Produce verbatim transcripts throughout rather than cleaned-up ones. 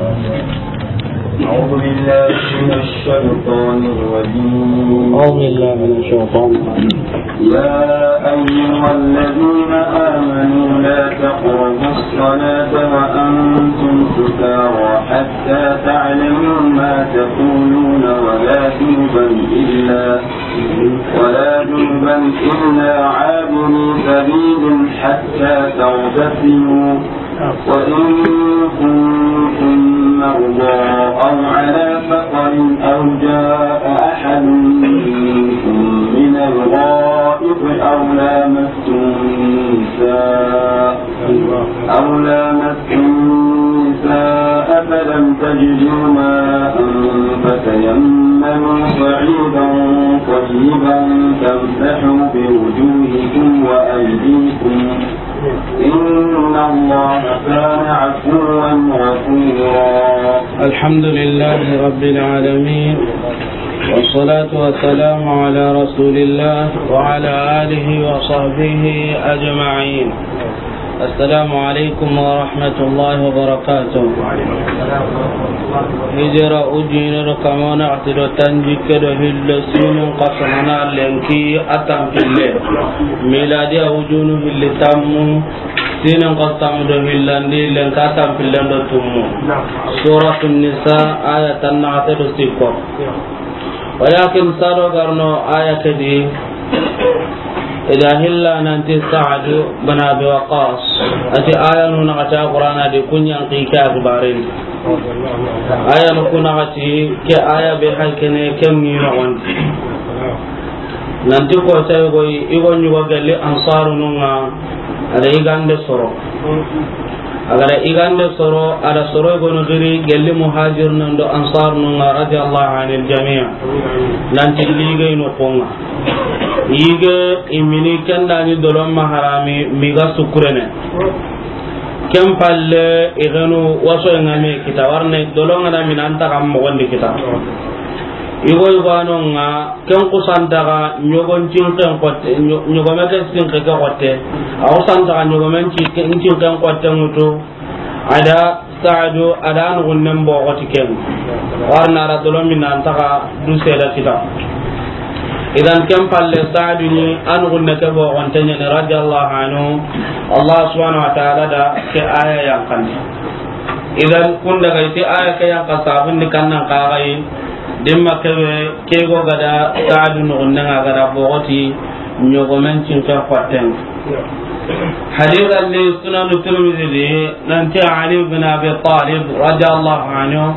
أعوذ بالله من الشيطان الرجيم. أعوذ بالله من الشيطان الرجيم. يا أيها الذين آمنوا لا تقربوا الصلاة وأنتم سكارى حتى تعلموا ما تقولون ولا جنبا إلا، ولا جنبا إلا عابري سبيل حتى تغتسلوا، وإن كنتم مرضى أو على سفر أو جاء أحد منكم من الغائط أو لامستم النساء، أو لامستم النساء فلم تجدوا ماء فتيمموا صعيدا طيبا فامسحوا بوجوهكم وأيديكم، إن الله كان عفوا غفورا. الحمد لله رب العالمين، والصلاة والسلام على رسول الله وعلى آله وصحبه أجمعين. السلام عليكم ورحمة الله وبركاته. Hijira ujine do kama naxati do tanjikke do hillo, sinin xasana na lenki a tanpille. Miladiya ujunu hilli tammu, sinin xasamu do hillandi lenki a tanpillen do tummu. Suratu Nisa, aya tan naxate do sikko. Walakin sado garno aya ke di, ida hilla nanti Sa'du bin Abi Waqqas. Ati aya nu naxati Qur'ana di, kunyan ki ke akbarin. Aya nu ku naxati ke aya be haykene ke mi no on. Nanti ko sai go i go nyugo galli Ansarunun ŋa, ada igande soro. Agara igande soro, ada soro gono giri gelli Muhajirun do Ansarun ŋa, radiyallahu anil jami'. Nanti lige ino konga. Yige imini kenda ni dolon maharami miga sukurene. Ken palle igenu waso ngame kita warne dolon ngana minanta kam mogondi kita. Igo igo anonga, ken kusantaga ɲogon cinken xotte, ɲo-, ɲogome ke sinke ke xotte. A kusantaga ɲogomen ci-, cinken xotte ŋutu. Ada Sa'du, ada nugunnen boxoti ken. Warna ara dolomi nantaga du seda kita. Idan ken palle Sa'du ni a nugunne ke boxonte ɲani, radiyallahu anhu. Allah subhanahu wa ta'ala da ke aya yankandi. Idan kun daga iti aya ke yanka sabundi kannan kaxayi. Dimma kebe ke go gada Sa'du nugunnen ŋa gada boxoti ɲogomen cinke xotten. Hadith alli Sunanu Tirmidhi di, nanti Ali bin Abi Talib radiyallahu anhu,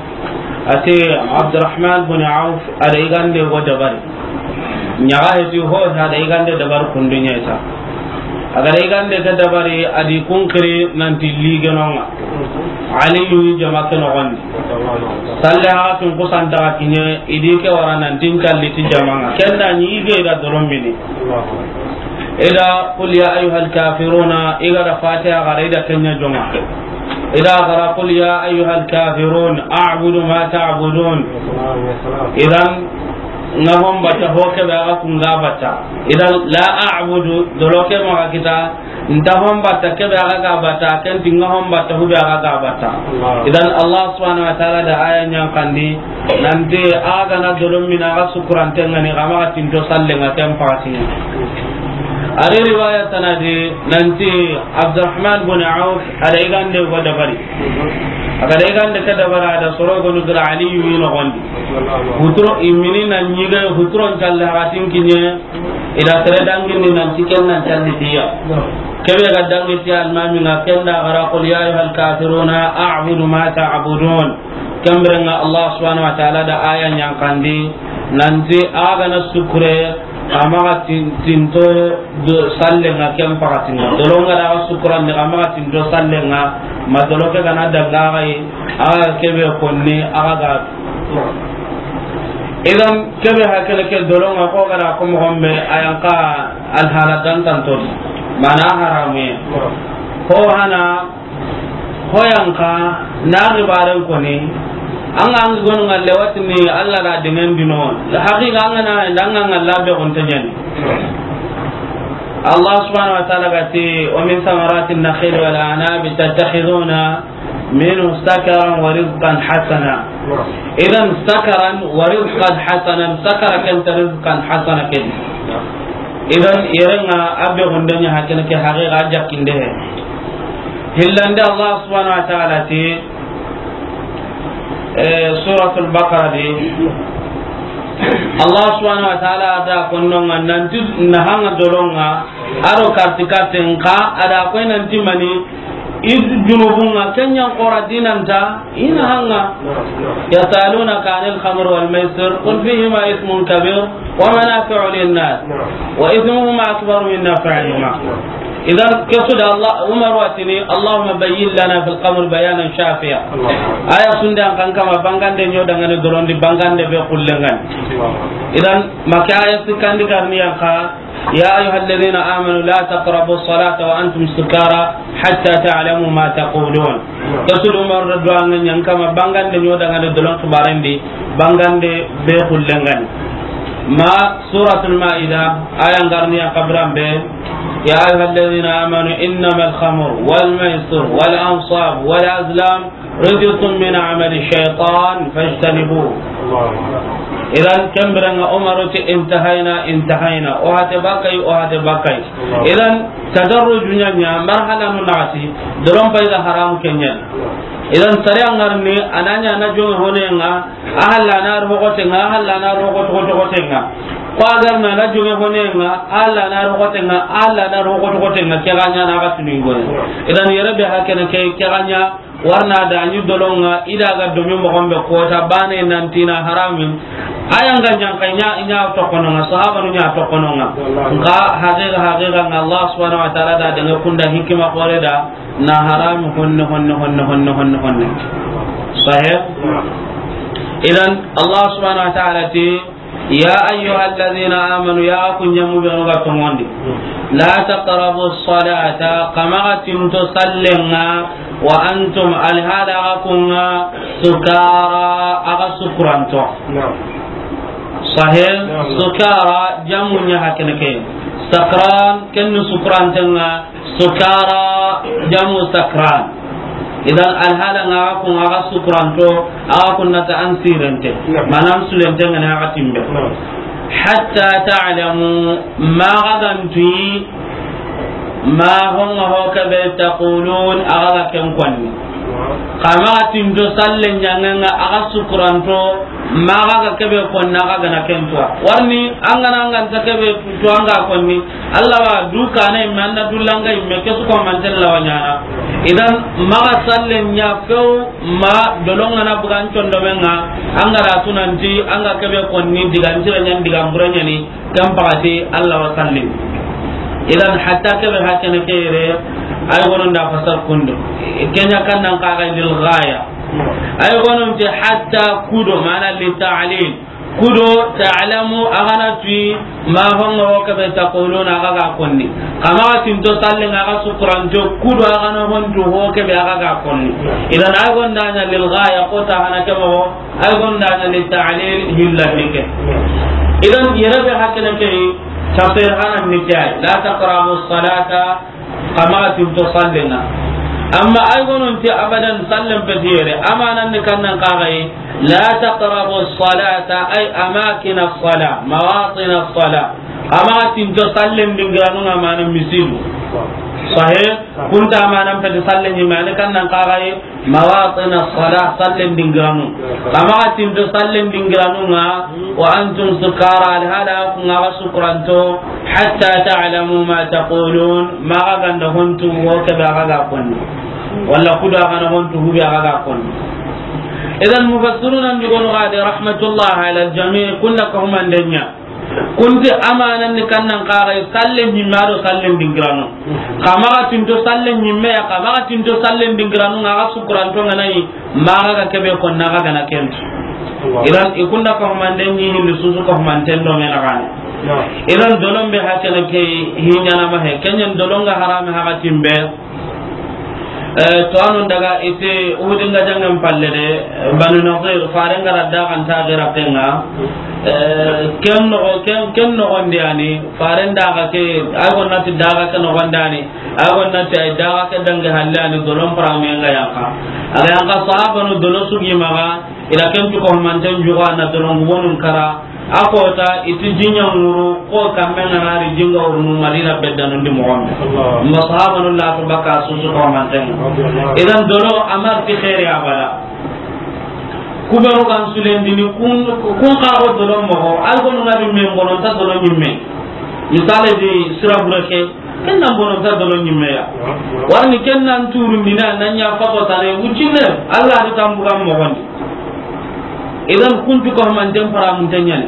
ati Abdurrahman bin Auf ada igande go dabari. Ɲaga heti ho ada igande dabari kundunya ita. Agada igande ke dabari adi kunkiri nanti ligenonga. Ali yu jama ke nogondi. Salle haxatun kusantaxa kiɲe, idi ke wara nantin calli ti jamanga. Kenda ɲi ige ida dorombini. Ida qul ya ayyuhal kafiruna, igada Fatiha gara ida kenya jonga. Ida gara qul ya ayyuhal kafirun, a'budu ma ta'budun. Idan, nga hon batta ho ke be aga kunga batta. Idan, la a'budu, doloke maga kita, nta hon batta kebe aga ga batta, ken ti nga hon batta hube aga ga batta. Allah. Idan Allah subhanahu wa ta'ala da aya ɲankandi, nanti aga na dolomina aga sukurante ngani, ga maga tinto salle nga ken pakatinga. Ari riwaya tanadi, nanti Abdurrahman bin Auf, ada igande go dabari. Agada igande ke dabara, ada soro gonu gira Aliyu yi nogondi. Huturo imini na ɲige, huturon calle hakatin kiɲe, ida sere dangini nanti ken nan calli tiya. Kebe ga dangi tiya almami nga kenda gara qul ya ayyuhal kafiruna a'budu ma ta'budun. Kembre nga Allah subhanahu wa ta'ala da aya ɲankandi nanti aga na sukure, amaga tin-, tinto do salle nga ken pakatinga. Dolonga da aga sukurandi, amaga tinto salle nga, ma doloke gana danga gai, aga kebe konni, aga ga Idan, kebe hakele ke dolonga ko gara ko mo gombe ayanka alhala dantanto. Mana haramuye. Ho hana, ho yanka, na gibaren koni. Anga angi gonu ngalle watini Allah da dingen dino. Haqiqa anga na, anga ngalla be gonte ɲani. Allah subhanahu wa ta'ala gati, "Wa min thamarati an-nakhil wal a'nabi tattakhiduna منه سكرا ورزقا حسنا. Idan, sakaran wa rizqan hasanan, sakara ken ta rizqan hasana ken. Idan, yere ŋa a be gundanya hakene ke haqiqa jakkinde he. Hillande Allah subhanahu wa ta'ala ti, eh, Suratul Baqara di, Allah subhanahu wa ta'ala da konnonga nanti nahanga dolonga, aro karti karti nka, ada koy nanti mani, id junubunga, kenyan qora dinanta, ina hanga. يسألونك عن الخمر والميسر قل فيهما إثم كبير ومنافع للناس وإثمهما أكبر من نفعهما. Idan, kesu da Allah, Umar watini, اللهم بين لنا في الخمر بيانا شافيا. Aya sunde an kan kama bangande nyo dangane dorondi bangande be kullengan. Idan, maka aya sikandi garni yanka, يا أيها الذين آمنوا لا تقربوا الصلاة وأنتم سكارى حتى تعلموا ما تقولون. Rasul Umar da duwangen yan kama bangande nyo dangane dolon kibarendi, bangande be kullengani. Ma Suratul Maida, aya ngarni ya kabran be, يا أيها الذين آمنوا إنما الخمر والميسر والأنصاب والأزلام رجس من عمل الشيطان فاجتنبوه. Idan, kembirenga Umaru ti intahayna, intahayna. O hate bakay, o hate bakay. Idan, tadarruju ɲaɲa, marhala nu nati, doron payda haram kenyan. Idan, sariya ngarni, ananya na jonge honenga, ahalla na rogotenga, ahalla na rogotogotogotenga. Ko agar na na jonge honenga, ahalla na rogotenga, ahalla na rogotogotenga, keganya na ga tuningoya. Idan, yere be hakene ke, keganya, warna da ni dolonga, ida ga domi mogon be kota bane nantina harami. Aya nga ɲanka ɲa, ɲa tokononga, sahaba nu ɲa tokononga. Nga haqiqa, haqiqa nga Allah subhanahu wa ta'ala da daga kunda hikima kore da na harami honne, honne, honne, honne, honne, honne. Sahih? Idan Allah subhanahu wa ta'ala ti, يا أيها الذين آمنوا, ya ku ɲamu be ga tongondi. لا تقربوا الصلاة, kamaga tinto sallenga, وأنتم, alhala ga kunga, سكارى, aga sukuranto. Sahih? سكارى, jamu ɲa hakene ke. سكران, kennu sukurantenga, سكارى, jamu سكران. Idan alhala nga aga kun aga sukuranto, aga kun nata an sirente. Manam sulente ngana aga timbe. حتى تعلموا, ma ga gantuyi, ma honga ho kebe تقولون, aga ga ken konni. Kama ga tinto salle ɲangenga aga sukuranto, ma ga ga kebe konna aga gana kentuwa. Warni angana anganta kebe to anga konni. Allah wa du kana imme, anna dullanga imme, ke su ko manten lawa ɲana. Idan, maga sallen ɲa few, ma dolonga na bugan condomenga, anga da tunanti, anga kebe konni, digan tira ɲan, digan bura ɲani, kan pagati, Allah wa sallim. Idan, hatta kebe hakene kere, ay gonon da fasar kundo. Kenya kan nan kaga lil ghaya. Ay gonon te hatta kudo, mana li ta'lil. Kudo, ta'lamu, agana tui, ma honga ho kebe taquluna, aga ga konni. Kama tinto sallen aga sukuranto, kudo agana hontu ho kebe aga ga konni. Idan ay gonda ɲa lil ghaya, ko ta hana kebe ho, ay gonda ɲa li ta'lil, hilla nike. Idan yere be hakene ke, tafsir hana nike, la taqrabu salata, kama tinto sallenga. Amma ay gonon ti abadan sallen pe yere, amanan ni kannan kagai, la taqrabu salata, ay amakin as-sala, mawatin as-sala. Kama tinto sallen dingiranunga mana misidu. Sahih, kunta amanan pe sallen ni mana kannan kagai, mawatin as-sala, sallen dingiranu. Kama tinto sallen dingiranunga, وأنتم سكارى, alhala kunga ga sukuranto, حتى تعلموا ما تقولون, ma ga ganda hontu ho kebe aga ga konni. Wala kudo agana hontu hube aga ga konni. Idan mufassiruna ndugono gade rahmatullah ala al-jami', kunna ka humandenya. Kunti amanan ni kannan kagai sallen ɲimme do sallen dingiranu. Kama tinto sallen ɲimme ya, kama tinto sallen dingiranu nga aga sukuranto nganayi. Maga ga kebe konna aga gana kentu. Idan ikunda ka humande ni hindu susu ka humanten do mena gane. Idan dolon be hakene ke hinyana ma he. Kenyan dolon ga harame haga timbe. Eh, to anon daga ite Uhudin ga jangan palle de, Banu Nadir, faren ga radda kan ta gira penga. Eh, ken no, ken, ken no gondi ani, faren daga ke, ay gonnati daga ke no gondani. A ga na ti a yi daga ke dangi halle a ni dolon paramuyen ga yanqa. A ga yanqa sahabanu dolo su gi maxa, i da ken tu ko manten juga na dolon gubonun kara. A kota i ti jinya nguru ko kamme nga na ri jinga urunu Madina beddanu ndi moxo be. Ma sahabanu la to baka su su ko manten. Idan dolo a ma ri ti xeeri abada. Ku be ro ga n sulendini kun, kun xa go dolo moxo, al go nga di men bono ta dolo nyimme. Misale di sira bure ke, ken nan bono ta dolo nyimme ya. Warni ken nan turundini a nan ɲa faso tane wuccinne, Allah di tambugan moxondi. Idan kuntu ko manten paramunten ɲani.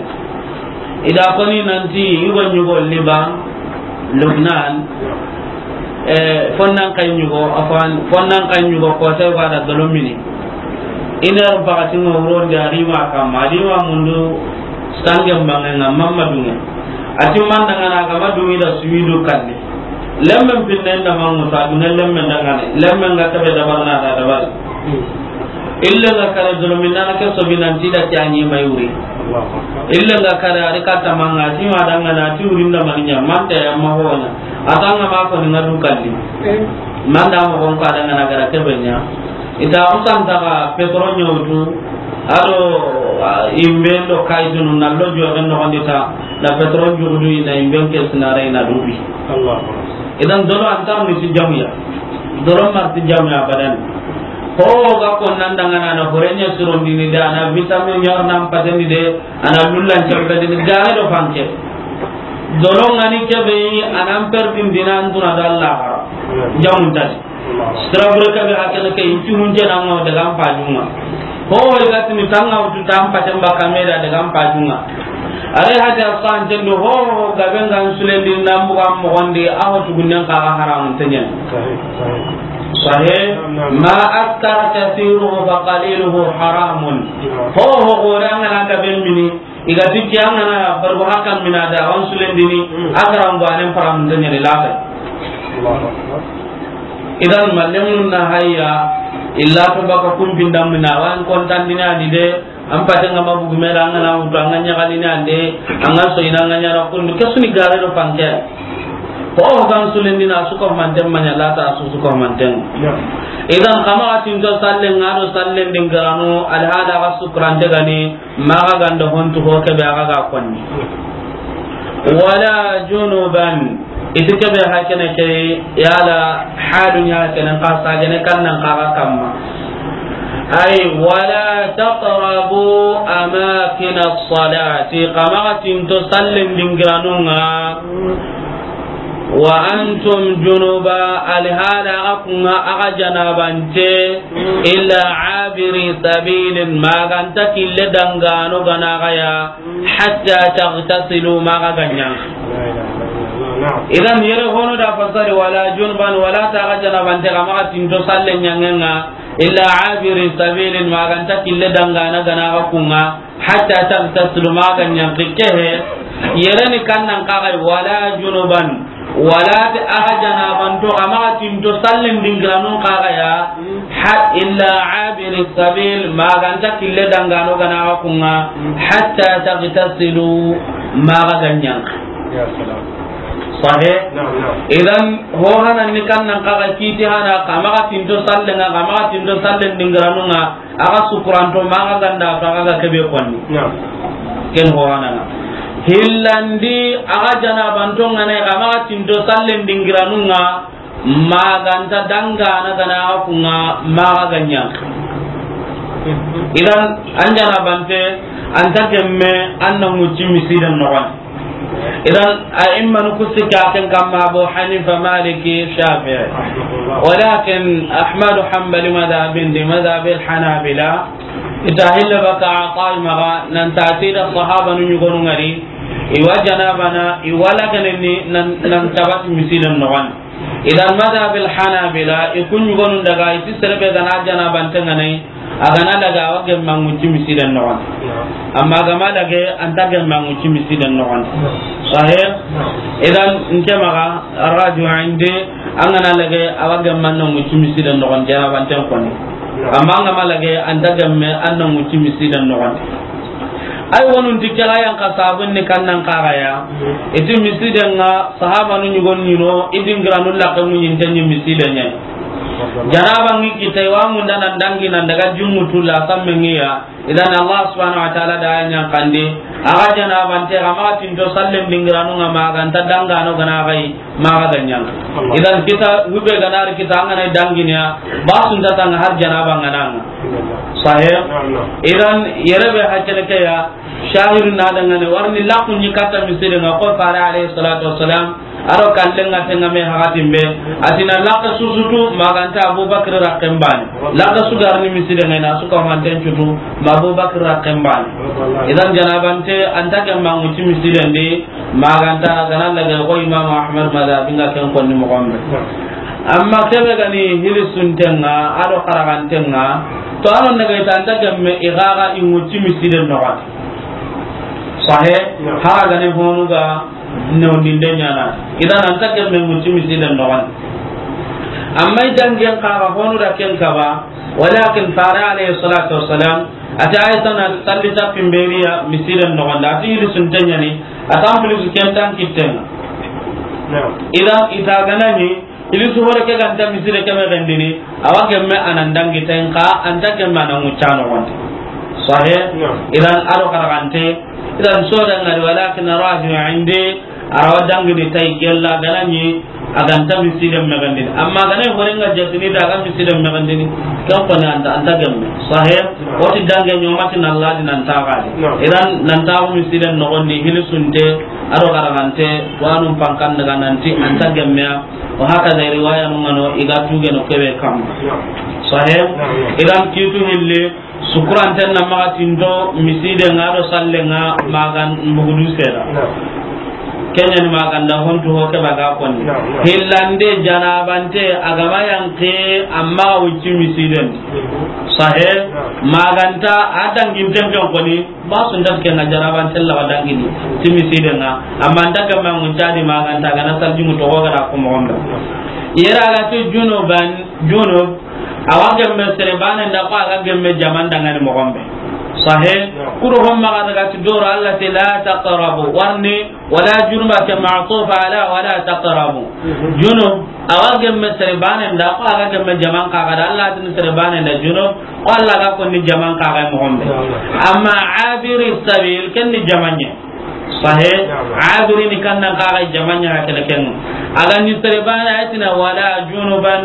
I da koni nanti i go ɲugo Liban, Lubnan, eh, fonnan kay ɲugo, afan, fonnan kay ɲugo ko te wa da dolo mini. Ina ro bakati ngo wuro ndi a ri ma kamma, a ri ma mundu sange mbange nga mamma dunge. A ti manda nga na ga ma dungi da suwidu kanne. Lemmen pinne nda mangu sa dunge lemmen da ngane. Lemmen ga tabe da barna da da bari. Ille nga kare dolomi nana ke sobi nanti da ti a ɲi may wuri. Ille nga kare a ri ka tamanga ti ma danga na ti wuri nda mani ɲa manta ya ma hona. A tanga ma ko ni nga du kalli. Manda mo gon ka danga na gara ke benya. I ta usan ta ga petro ɲotu. Ado imbe ndo kay dunu na lo jo ga no ndi ta. Na petro jugudu ina imbe ke sinare ina dubi. Idan dolo antam ni si jamuya. Dolo mar ti jamu ya badan. Ho ga ko nan danga na na horenya sirondini da na vitamin yor nan pateni de ana lullan carbedini gare do fanke. Dolo ngani kebe anan perdin dinan duna da Allah. Jamun tadi. Sira bure kebe hakana ke inti hunje na ngo daga pajunga. Ho ho ga tini tanga utu tam patemba kamera daga pajunga. Are hadi asan tendo ho ho gabe ngan sulendi nambu kam mogondi aho tugunnen ka haramun tenyen. Sahih. Ma askara kathiruhu fa qaliluhu haramun. Ho ho gore an ga na gabe mini, i ga ti ke an ga na bargo hakan mina da wan sulendini, a garan banen param tenyen lata. Idan mallemun na hayya illa to baka kun bindam mina wan kontan dina di de. An paten ga ma bugu mera, an ga na wutu, an ga ɲaxalini ande, an ga soyini, an ga ɲana kundu, ke su ni gare do fanke. Ho ho ga n sulendi na su ko manten maɲa lata su su ko manten. Idan xa maxa tinto sallen ŋa do sallen dingiranu, alhada ga sukurante gani, maxa ganda hontu ho kebe a ga ga konni. Wala junuban. Iti kebe hakene ke yala halu ɲa kene ka sagene kannan kaga kamma. Ay, wala taqrabu amakin as-salati, xa maxa tinto sallen dingiranunga. Wa antum junuba, alhala akunga aga janabante, illa abiri sabilin, maganta kille dangano gana gaya. Hatta taghtasilu, maxa ga ɲa. Idan yere hono da fasari wala junban wala ta ga janabante ga maxa tinto salle ɲangenga illa abiri sabilin, maganta kille dangana gana ga kunga hatta taghtasilu, maxa ga ɲa. Kehe yere ni kannan kaga wala junuban. Wala ti aga janabanto, amaga tinto sallen dingiranun kaga ya, ha, illa abiri sabil, maganta kille dangano gana aga kunga, hatta tagtasilu, maga ganyan. Ya salam. Sahih? Na'am, na'am. Idan, ho hanan ni kannan kaga kiti hana, kamaga tinto sallen nga, kamaga tinto sallen dingiranun nga, Aga sukuranto, maga ganda to, aga ga kebe konni. Na'am. Ken ho hanana. Hillandi, aga janabanto ngane, amaga tinto sallen dingiranun nga, maganta dangana gana aga kunga, maga ganya. Idan, an janabante, anta gemme, an na mucci misidan noxon. Idan, a'immanu ku sikka ken kamma Abu Hanifa, Maliki, Shafi'i. Walakin Ahmadu Hanbali madhabin di, madhabil Hanabila. Ita hilla baka Ata'i maga, nan tati da sahabanu ɲugonu ngari. Iwa janabana, iwa laganeni nan, nan tabati misidan noxon. Idan madhabil Hanabila, i ku ɲugonun daga, iti serebe gana janabante nganai, Agana daga, awa gemma ŋucci misidan noxon. Amma agama dage, anta gemma ŋucci misidan noxon. Sahih? Idan, nke maga, arraju indi, angana dage, awa gemma na ŋucci misidan noxon, janabanten koni. Amma angama dage, anta gemme, an na ŋucci misidan noxon. Ay, wonun ti ke ga yan xa sabun ni kannan xa ga ya. I ti misiden ŋa, sahabanu ɲugon ɲi no, i dingiranu laxe ŋuɲinten ɲi misiden ɲa. Janaba ŋi kita, i wa munda nan dangi nan daga junŋu tu la samme ŋi ya. Idan Allah subhanahu wa ta'ala da yan xandi. A ga janabante, a ma tinto sallen dingiranu ŋa, ma ga nta dangano ga na ga yi. Maxa ga ɲa. Allah. Idan kita, hube ga na ri kita, an ga na dangini ya, ba su nta tanga har janaba ŋa na ŋa. Sahih? Naam, naam. Idan yere be hakkene ke ya, shahidu na dangane, warni laxu ɲi katta misiden ŋa ko Fare alayhi salatu wassalam, a do kallen ŋa tenga me hakatin be, a ti na laxe su su tu, ma ga nta Abubakar rakken bane. Laxe su ga ri ni misiden ŋa, i na su ka manten cutu, ma Abubakar rakken bane. Idan janabante, an ta ke ma ŋuti misiden di, ma ga nta, ga na lage ko Imam Ahmad madhabi ŋa ken konni moxo be. Amma ke be ga ni hilisunten ŋa, a do xaraganten ŋa, to a no na ga i ta an ta gemme i ga ga i ŋuti misiden noxon di. Sahih, hara ga ni honu ga newndinde ɲaana. Idan an ta gemme ŋuti misiden noxon di. Amma i dangen xa ga honu da ken kaba, walakin Fare alayhi salatu wassalam, a ti Aisha na salli ta pimberiya misiden noxon di, a ti hilisunten ɲa ni, a tan plus ken tan kitten ŋa. Naam. Idan i ta ga na ni, hilisu hore ke ga nta miside ke me gendini, a wa gemme a nan dangi ten xa, an ta gemme a nan ŋucca noxon di. Sahih? Naam. Idan a do xaragante, idan so da ŋa di, walakin rajih indi, a ra wa dangini tay gella ga na ɲi, a ga nta misiden me gendini. Amma ga na hore ŋa jatini da ga misiden me gendini, ken ko ni an ta, an ta gemme. Sahih? Woti dange ɲomati na ladi nan ta gadi. Naam. Idan nan ta misiden noxon di, hilisunte, a do xaragante, wanun pankan daga nanti an ta gemme ya. Wa hakaza riwaya nu ŋa no, i ga tuge no ke be kam. Naam. Sahih? Naam, naam. Idan kitu hilli, sukuranten na maxa tinto misiden ŋa do sallen ŋa, ma ga mbugudu seda. Naam. Ken ɲa ni ma ga nda hontu ho ke ba ga konni. Naam, naam. Hillande janabante a ga ma yanqi amma wucci misiden. Mhm. Sahih? Naam. Ma ga nta a danginten ken koni, ba su nta ke ŋa janabante la wa dangini ti misiden ŋa. Amma nta ke ma ŋucca di ma ga nta ga na saljimu to ga da ko moxo be. Yere a ga ti junuban, junub, a wa gemme sere bane nda ko a ga gemme jaman dangani moxo be. Sahih? Naam. Kuru homma ga daga ti doro Allah ti la taqrabu. Warni, wala junuba ke ma'tuf ala wala taqrabu. Mhm. Junub, a wa gemme sere bane nda ko a ga gemme jaman xa ga da Allah tin sere bane nda junub, ko Allah ga konni jaman xa ga moxo be. Naam. Amma abiri sabil, ken ni jaman ɲa. Sahih? Naam. Abiri ni kannan xa ga jaman ɲa kene ken. A ga ni sere bane a ti na wala junuban,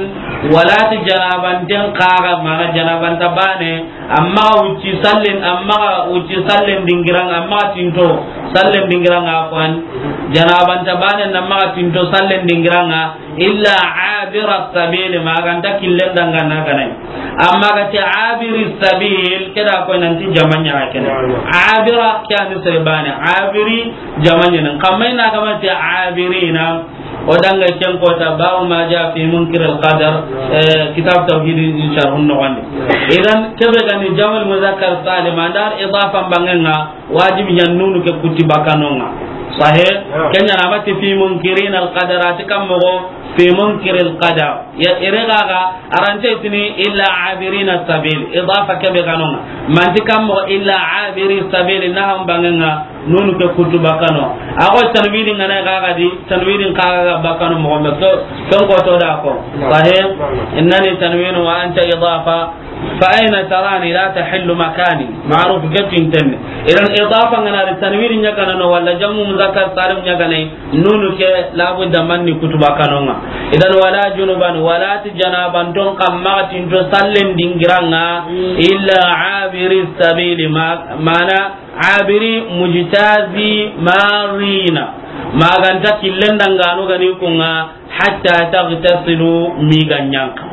wala ti janabanten xa ga, mana janabanta bane, amma wucci sallen, amma wucci sallen dingiran ŋa, amma tinto sallen dingiran ŋa, afwan. Janabanta bane na amma tinto sallen dingiran ŋa, illa abira sabili, ma ga nta killen dangana ga na ɲi. Amma ga ti abiri sabil, ke da ko nanti jaman ɲa kene. Abira ke a ni sere bane, abiri jaman ɲa nan. Kamma i na ga ma ti abirina, o danga ken kota, babu ma ja fi munkir al qadar, eh, kitab tawhid in sharhun noxon di. Idan ke be ga ni jamal muzakkar salim, an da idafa bangen ŋa, wajibi ɲa nunu ke kuti bakanon ŋa. Sahih? Naam. Ken ɲa na ma ti fi munkirin al qadar, a ti kam moxo fi munkir al qadar. Ya, ire ga ga, a ra nta tini illa abirina sabil. Idafa ke be ga no ŋa. Ma nti kam moxo illa abiri sabil, na ham bangen ŋa, nunu ke kutu bakano. A go tanwini ŋa na ga ga di, tanwini xa ga bakano moxo be. To, ton ko to da ko. Naam. Sahih? Naam. Innani tanwinu wa anta idafa. Fa aina tarani la tahillu makani. Ma'ruf gatin tan. Idan idafa ŋa na ri tanwini ɲa ga na no wala jamu muzakkar salim ɲa ga na, nunu ke labudda manni kutu bakanon ŋa. Idan wala junuban, wala ti janabanton xa maxa tinto sallen dingiran ŋa, illa abiri sabili, ma, mana abiri mujtazi marina. Ma ga nta killen danganu ga ni kun ŋa, hatta taghtasilu, mi ga ɲanqa.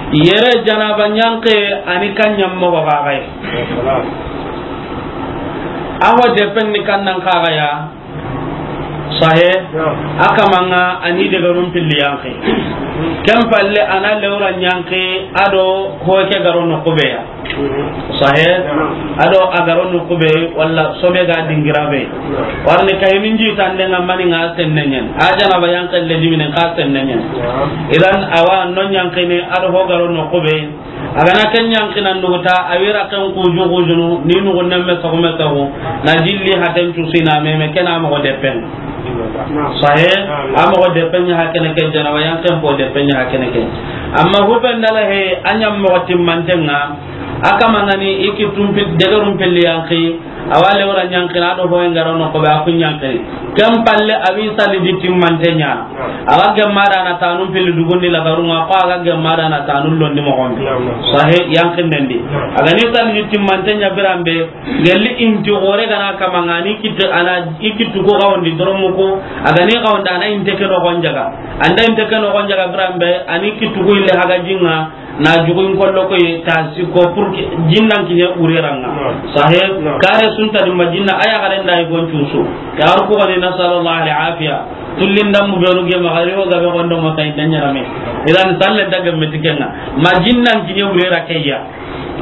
Yere janaba ɲanqe a ni kan ɲa moxo ga ga yi. A ho depen ni kan nan xa ga ya. Sahih? A kaman ŋa a ni degarun pilli yanqe. Ken palle a na lewra ɲanqe a do ho ke garo no kube ya. Sahih? Naam. A do a garo no kube wala sobe ga dingira be. Naam. Warni kay min ji tande ŋa mani ŋa senne ɲen. A janaba yanqe le dimine ka senne ɲen. Naam. Idan awa no ɲanqini a do ho garo no kube. A ga na ken ɲankinan duguta, a wira ken kuju kujunu, ni nugu nemme soxume soxu, na jilli haten cusi na meme, ken a moxo deppen. Sahe, a moxo deppen ɲa hakene ke, janaba yanken po deppen ɲa hakene ke. Amma huben dala he, a ɲa moxo timmanten ŋa, a kama ŋa ni i ki tumpi, degerun pilli yanki, awa lewra ɲankini, a do hoye ŋa ro noxo be, a ku ɲankini. Ken palle, a wi saliji timmante ɲa. A ga gemma da na tanun pilli dugundi lagarun ŋa, ko a ga gemma da na tanun londi moxon be. Sahe, yankinden di. A ga ni saliji timmante ɲa biran be, gelli inti xore ga na kama ŋa ni kitte, a na i kittu ko xawondi doromu ko, a ga ni xawonda a na inte ke noxon jaga. An da inte ke noxon jaga biran be, a ni kittu ko ille haga jinŋa, na jugun kollo koy ta sikko pour que jinnan kiɲe wure ra ŋa. Naam. Sahe, naam, kare sunta di ma jinna, a ya garen da i gon cusu. Ya ar ko ni, nasallallahu al afiya. Tullin dambu be no ge ma gari o gabe gondo mo tay danyara me. Idan salle daga metikenga. Ma jinnan kiɲe wure ra kayya.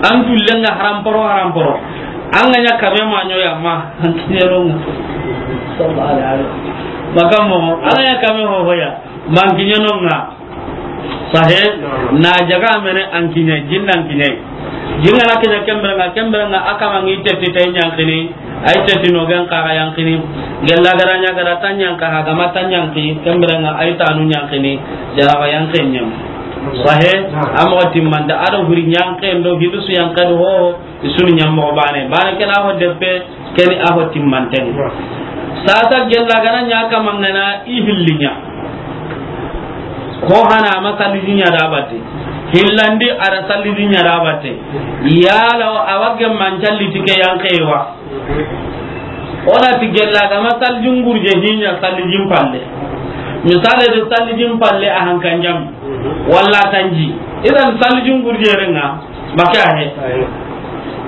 An tullenga haram poro, haram poro. An ga ɲa kame ma ɲo ya ma. An kiɲe ro. Sallallahu alaihi wasallam. Makamo, an ga ɲa kame ho ho ya. Man kiɲe no ŋa. Sahe, na jaga mene an kiɲe, jinnan kiɲe. Jinga na kiɲe kembere ŋa, kembere ŋa a kama ŋi tetti tay ɲankini, ay tetti no gen kaga yankini. Gella gara ɲa gara tan ɲanka ha, gama tan ɲanki, kembere ŋa ay tanu ɲankini, janaba yanken ɲam. Sahe, a moxo timmante, a do huri ɲanken do, hidusu yanken do, ho, ho. I suni ɲa moxo bane. Bane ken a ho deppe, ken a ho timmanten. Sasa gella ga na ɲa kama ŋa na i hilli ɲa. Ko hana a ma salliji ɲa da batte. Hillandi a da salliji ɲa da batte. Yala a wa gemma n calli ti ke yanke wa. O na ti gella ga ma sallijin gurje hi ɲa sallijin palle. Misale de sallijin palle a hankan jam. Walla tanji. Idan sallijin gurje renga. Make a he.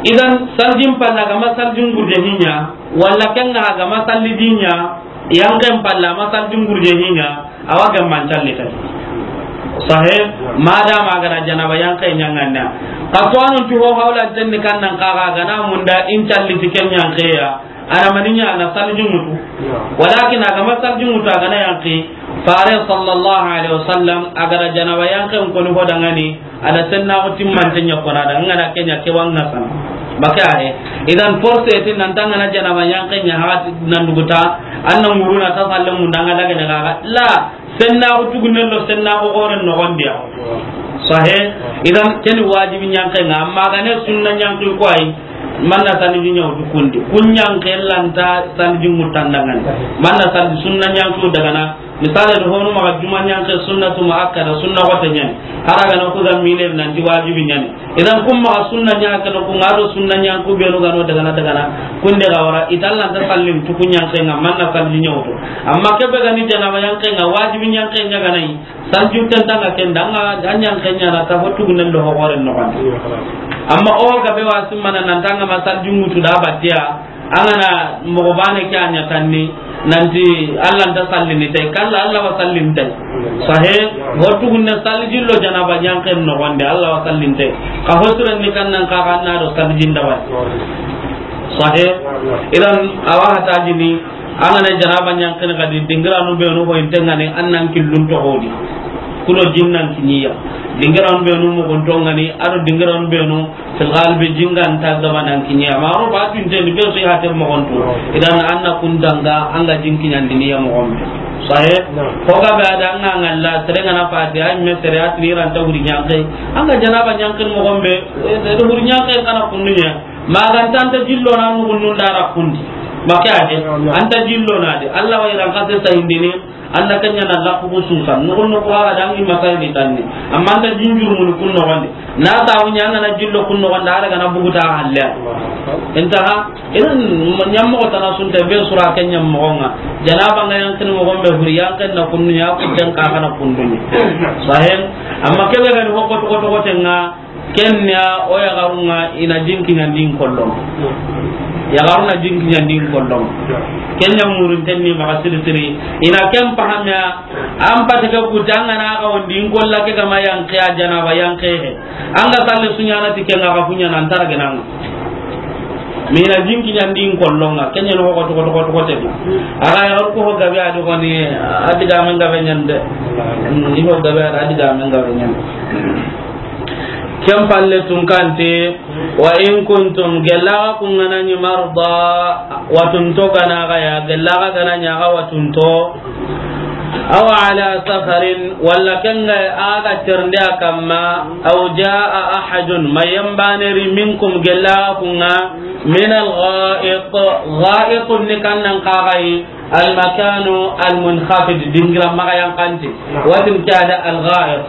Idan, saljin palla ga ma saljin gurje hi ɲa, walla ken ŋa ga ma saljin ɲa, yanken palla ma saljin gurje hi ɲa, a wa gemma n calli tay. Sahe, madama a ga da janaba yanke ɲaŋana. Ka to anun ti ho hawla tenni kan nan ka ga na munda in calli ti ken yanke ya. A na mani ɲa, a na saljin ŋutu. Walakin a ga ma saljin ŋutu, a ga na yanki. Fare sallallahu alaihi wasallam, a ga da janaba yanken koni ho dangani, a da sennaxu timmante ɲa kona da, ŋa na ke ɲa ke wa ŋa san. Baka he. Idan force ti nan tanga na janaba yanken ɲa hati nan duguta, an na ŋuruna ta salle munda ŋa daga ɲa ga. La, sennaxu tugunen do sennaxu xoren noxon di ya. Sahe, idan ken ni wajibi ɲanke ŋa, amma ga ne sunna ɲanke ko ay, manna saliji ɲa wutu kundi. Kun ɲanke lanta saliji ŋutandangani. Manna saliji sunna ɲanke daga na, misale do honu maxa juma ɲanke sunnatu muakkada, sunna xote ɲani. Hara ga na ku ga mine nan ti wajibi ɲani. Idan kun maxa sunna ɲa ke no, kun ŋa do sunna ɲanku be no ga no daga na, daga na. Kunde ga wara, i ta lanta sallin tu kun ɲanke ŋa, manna saliji ɲa wutu. Amma ke be ga ni janaba yanke ŋa, wajibi ɲanke ɲa ga na yi. Salju tentanga ken da, an ɲanke ɲa na ta ho tugunen do ho xoren noxon di. Amma o ga be wa simmana nan tanga ma salju ŋutu da batiya, an ga na moxo bane ke a ɲa tanni, nanti Allah nta sallini tay, kalla Allah wa sallini tay. Sahe, ho tugunne saljillo janaba yanken noxon di, Allah wa sallini tay. Ka ho siren ni kan nan ka ga na do saljin da ba. Sahe, idan a wa hata jini, An ga na janaba ɲanken ŋa di, dingiranu be nu ho inte ŋa ni, an nan killun to hodi. Kudo jinnan kiɲiya. Dingiranu be nu moxon to ŋa ni, a do dingiranu be nu fil galibi jingan ta gaba nan kiɲiya. Ma ro ba tun te ni be su ya te moxon to. Idan an na kun danga, an ga jin kiɲandini ya moxon be. Sahe? Ko ga be a da an ga ŋalla, sere ŋa na fati, ay me sere at ni ran ta wuri ɲanke. An ga janaba ɲanken moxon be, e, wuri ɲanke kana kundunya. Maxa an ta, an ta jillo na nugun nun da ra kundi. Make a de, an ta jillo na de. Allah wa i ran kase sayindini, an na ken ɲa na laxu ku susa. Nugun nugu a da an gi masayidi tanni. Amma an ta jinjuru mun kun noxon di. Na ta wunya an na jillo kun noxon da, a ra ga na buguta halle. Intaha, idan ɲammoxo tana sunte be sura ken ɲammoxo ŋa. Janaba ŋa yanken moxon be huri yanken na kunnu ya ku ten ka kana kundu ni. Sahen, amma ke be ga ni ho ko to ko to ko ten ŋa. Ken ya o yaxarun ŋa i na jin kiɲandin kollon. Yaxarun na jin kiɲandin kollon. Ken ya murun ten ni maxa siri siri. I na ken pahamiya, an pati ke kuti an ga na xa wondi in kolla ke ga ma yanke a janaba yanke he. An ga salle su ɲa na ti ken ŋa xa kuɲa nan tara genan. Mi na jin kiɲandin kollon ŋa. Ken ya no ko to ko to ko to ko te. A ga yaxaru ko ho gabe a di ko ni, a di ga men gabe ɲande. Mm, i ho gabe a di ga men gabe ɲande. Ken palle tunkanti, wa in kuntum, gella xa kun ga na ɲi marda, watunto ga na xa ya, gella xa ga na ɲi xa watunto, aw ala safarin, walla ken ga a ga terndi a kamma, aw jaa ahadun, ma yambane ri minkum, gella xa kun ga, min al-gha'it, gha'it ni kannan xa ga yi, al-makanu al-munkhafid, dingira maxa yanqante. Watin ke a da al-gha'it.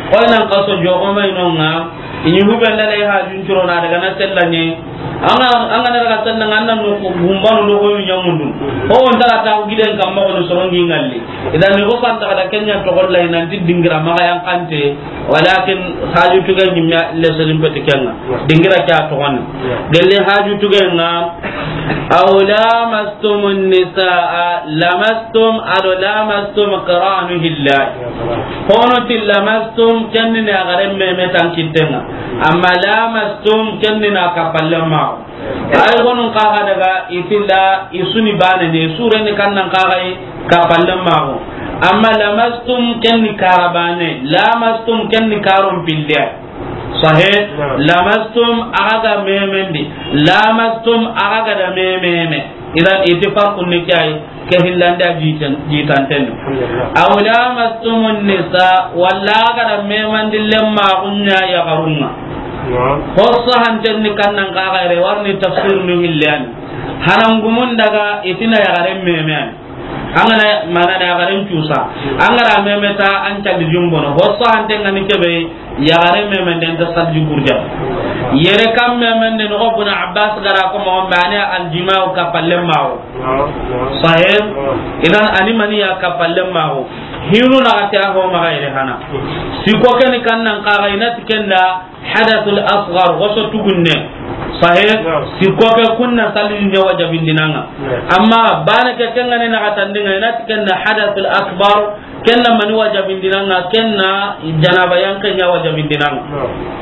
Koy nan kaso jogo mai nonga, ini hube ndala ya hajun turo na daga na sellani. Anga, anga na daga sellanga, anna no gumbanu no ko ɲamundu. Ko on tara ta giden kamma ko sorongi ngalli. Idan ni ko san ta da kenya to golla ina dingira maxa yanqante. Walakin haju tuga ɲimya le solim peti kenga. Dingira kya to gon. Gelle haju tuga nga. Aw lamastumun nisaa, lamastum, ado lamastum qaranu hilla. Hono ti lamastum, kenni na garen meme tan kittenga. Amma lamastum, kenni na kappalle mago. Ay gonun kaga daga itilla isuni bane ne, sure ni kannan kaga yi kappalle mago. Amma lamastum, kenni karabane, lamastum, kenni karon pille. Sahih. Naam. Lamastum, aga ga memendi. Lamastum, aga ga da mememe. Idan, iti farqun ni kay, ke hillanda jitan, jitanten. Alhamdulillah. Aw lamastumun nisa, walla aga da memandi lemma gunya ya garunga. Naam. Hossa hanten ni kannan ka gaire, warni tafsir ni hillan. Hanangumun daga itina ya garen memen. Angana mana na garen cusa. Angara memeta an calli jumbono. Hossa hanten ngani kebe, yagare memenden ta salji gurja. Yere kam memenden, o Ibn Abbas gara ko mo bane aljima'u kappalle mago. Sahih. Idan ani mani ya kappalle mago. Hinu na gati a ho maga yere hana. Siko keni kannan kaga inati kenda hadathul asghar, waso tugunne. Sahih. Siko ke kunna salji ne wajabindinanga. Amma bane ke kengane na gatandinga inati kenda hadathul akbar. Kenna mani wajabindinanga, kenna janaba yanke nya wajabindinanga. Naam.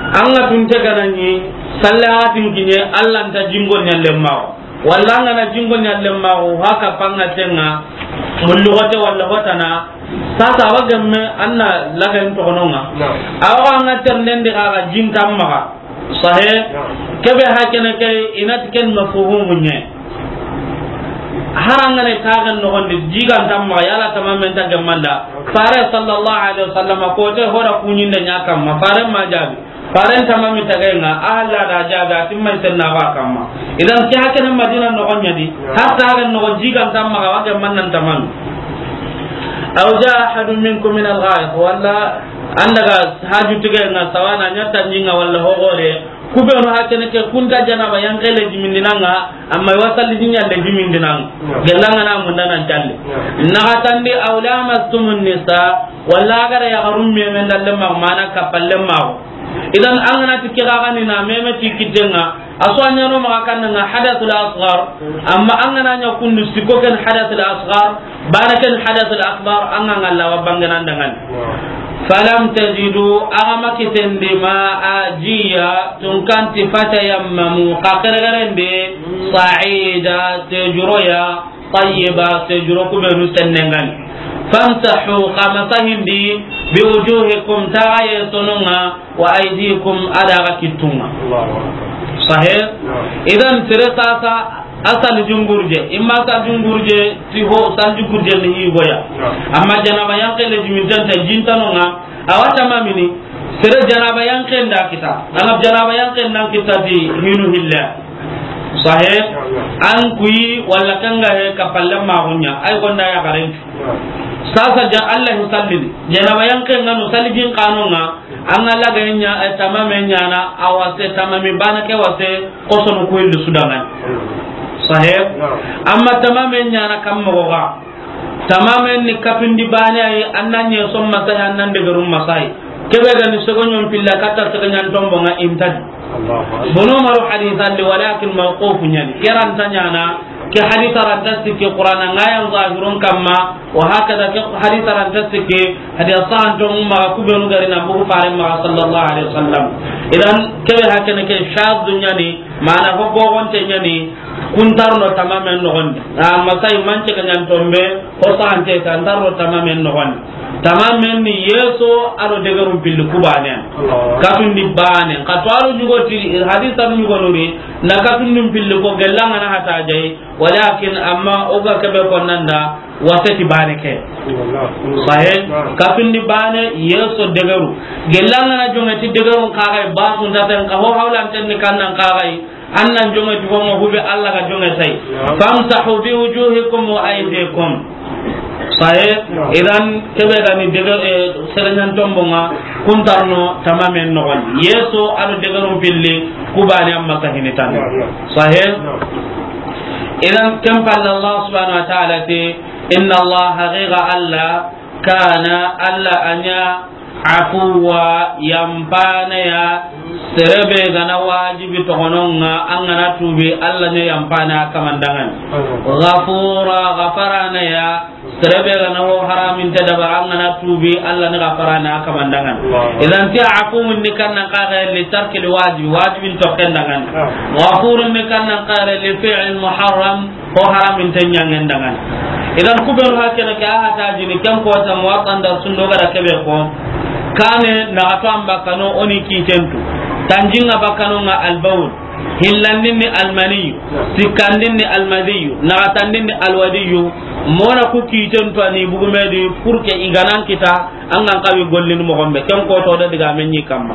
Anga tunte ganani, sallahatin kinye, Allah nta jingo nya lemmawo. Walla anga na jingo nya lemmawo, haka panga tenga, mullugote walla hotana, sasa wagemme anna lagan tokononga. Naam. Awa anga ternden de kaga jinta maga. Sahih. Naam. Kebe hakene ke inati ken mafhumu nye. Harangane tagan nogondi jigan tamma yala tamamen tagan manda. Fare sallallahu alaihi wasallam ko te hora kunyinde nya kamma. Fare ma jabi. Fare tamami tagenga Allah da jabi atimma senna ba kamma. Idan ke hakene Madina nogonya di. Har tagan nogon jigan tamma ga waga mannan tamami. Aw jaa ahadun minkum min al-gha'it, walla an daga haju tigenga sawana nya tanjinga walla hogore, kubenu hakene ke kunta janaba yanke le jimindinanga, amma wa salli jinya le jimindinanga. Gelanga na munda nan talle. Naga tandi aw lamastumun nisa, walla agara ya garum memen dalle magmana kapalle mago. Idan an gana ti ke ga gani na meme ti kitenga, aso anyano maga kanna hadathul asghar, amma an gana nya kundu siko ken hadathul asghar, bana ken hadathul akbar, an ga ngalla wa bangana dangan. Falam tajidu, aga makitendi ma a jiya, tunkanti fatayammamu, ka keregerende, sa'ida, tejuroya, tayyiba, sejuro kubenu sennengani. Famsahu, xa masahindi, bi wujuhikum, taxaye sonunga, wa aydikum, adaga kittunga. Allahu Akbar. Sahih? Naam. Idan sere sasa, asal jungurje, imma sa jungurje, ti ho, sal jungurje ni higoya. Naam. Amma janaba yanke le jimintanta jintanonga, awa tamamini, sere janaba yanke nda kita. Ana janaba yanke nda kita di hinu hilla. Sahih. An kuyi walla kanga he kapalle magunya, ay gonda ya garen. Sasa ja Allah sallini. Janaba yanke ngano salijin kanonga, an Allah ganya, eh, tamame nyana, awase tamami bana ke wase, kosono kuyi sudangan. Sahih. Amma tamame nyana kam mogoga. Tamamen ni kapindi bane ay, annan ye som masay, annan de garum masay. Kebe ga ni sogonyon pilla kata sogonyan tombo nga intad. Allahu Akbar. Bono maru hadith andi, walakin mawquf nyani. Keran tanyana, ke hadith aranta sikke Qur'an nga yan zahirun kamma, wa hakada ke hadith aranta sikke, hadith sahan to ma kubenu gari na bugu fare ma sallallahu alaihi wasallam. Idan kebe hakene ke shadh nyani, mana hobbo gonte nyani, Kun nta ro no tamamen noxon di. A, masay mance ga ɲan tombe, ho sante ta, nta ro no tamamen noxon di. Tamamen ni yeso a do degerun pilli ku baane. Katundi baane. Ka to a ro ɲugo ti, hadisa ɲugo nuri, na katundun pilli ko gellanga na hata jay, walakin amma o ga kebe ko nanda, waseti baane ke. Sahe, katundi baane, yeso degeru. Gellanga na jonge ti degerun kaxay, basun taten ka ho hawlanten ni kannan kaxay, An nan jonge ti honga hube Allah ga jonge tay. Naam. Famsahu bi wujuhikum wa aydikum. Saye, naam, idan kebe ga ni dege, eh, serenyan tombonga, kun nta ro no tamamen noxon di. Yeso a do degerun pilli, ku baane amma ka hini tan. Naam, naam. Sahe. Naam. Idan ken palle Allah subhanahu wa ta'ala ti, inna Allah, haqiqa Allah, kana, Allah a ɲa, afuwa, yampana ya, sere be ga na wajibi toxonon ŋa, an ga na tubi, Allah ni yampana kaman dangan. Ghafura, gafarana ya, sere be ga na ho haramin ta dabari, an ga na tubi, Allah ni gafarana kaman dangan. Idan ti afuwun ni kannan kaxe li tarkil wajib, wajibin toxen dangan. Ghafurun ni kannan kaxe li fi'l muharram, Ho haramin te ɲangen dangan. Idan kubenu hakene ke a hata jini ken kota Muwatta nda sundo ga da kebe ko. Kane na gato an bakkano o ni kitentu. Tanjinga bakkano nga albawl. Hillandin ni almaniyu. Sikkandin ni almadiyu. Nagatandin ni alwadiyu. Mona ku kitentu ani bugumedi pour que i ga nan kita. An ga n xawi gollini moxo be, ken koto da digamen ɲi kamma.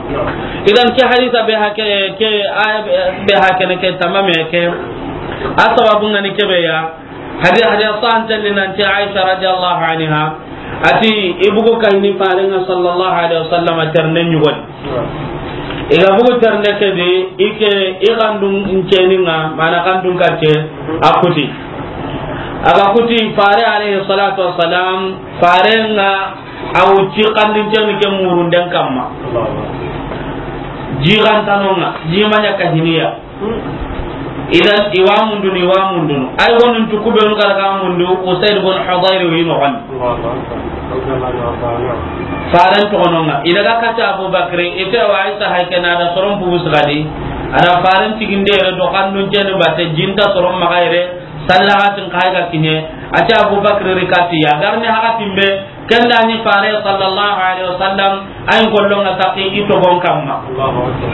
Idan ke hadisa be hake, ke aya be, be hakene ke tamame ke. A sababu ngani kebe ya. Hadi-, hadisa sante ni nanti Aisha radiyallahu anha. Ati i bugu kayni farenga sallallahu alaihi wasallam terne ɲugoni. I ga bugu terne ke di, i ke, i xandun nceni nga, mana xandun kacce, a kuti. A ga kuti fare alaihi salatu wassalam, farenga A wucci xandincenni ke murunden kamma. Jigantanonga, jimaɲa kahiniya. Idan, i wa mundunu, i wa mundunu. Ay gonun tu kubenu gara ga mundu, Usaid bun Hudayr wi noxon. Faren toxononga. I daga kata Abu Bakri, ite wa Aisha haykena da soron pugu sigadi. Ada faren tiginde yere do xandincenni bate jinta soron maxa yere. Sallahatin kay ga kiɲe, a ti Abu Bakr ri kati ya, garni hakatin be, ken da ni fare sallallahu alaihi wasallam, ay n kollonga saki i togon kamma. Allahu Akbar.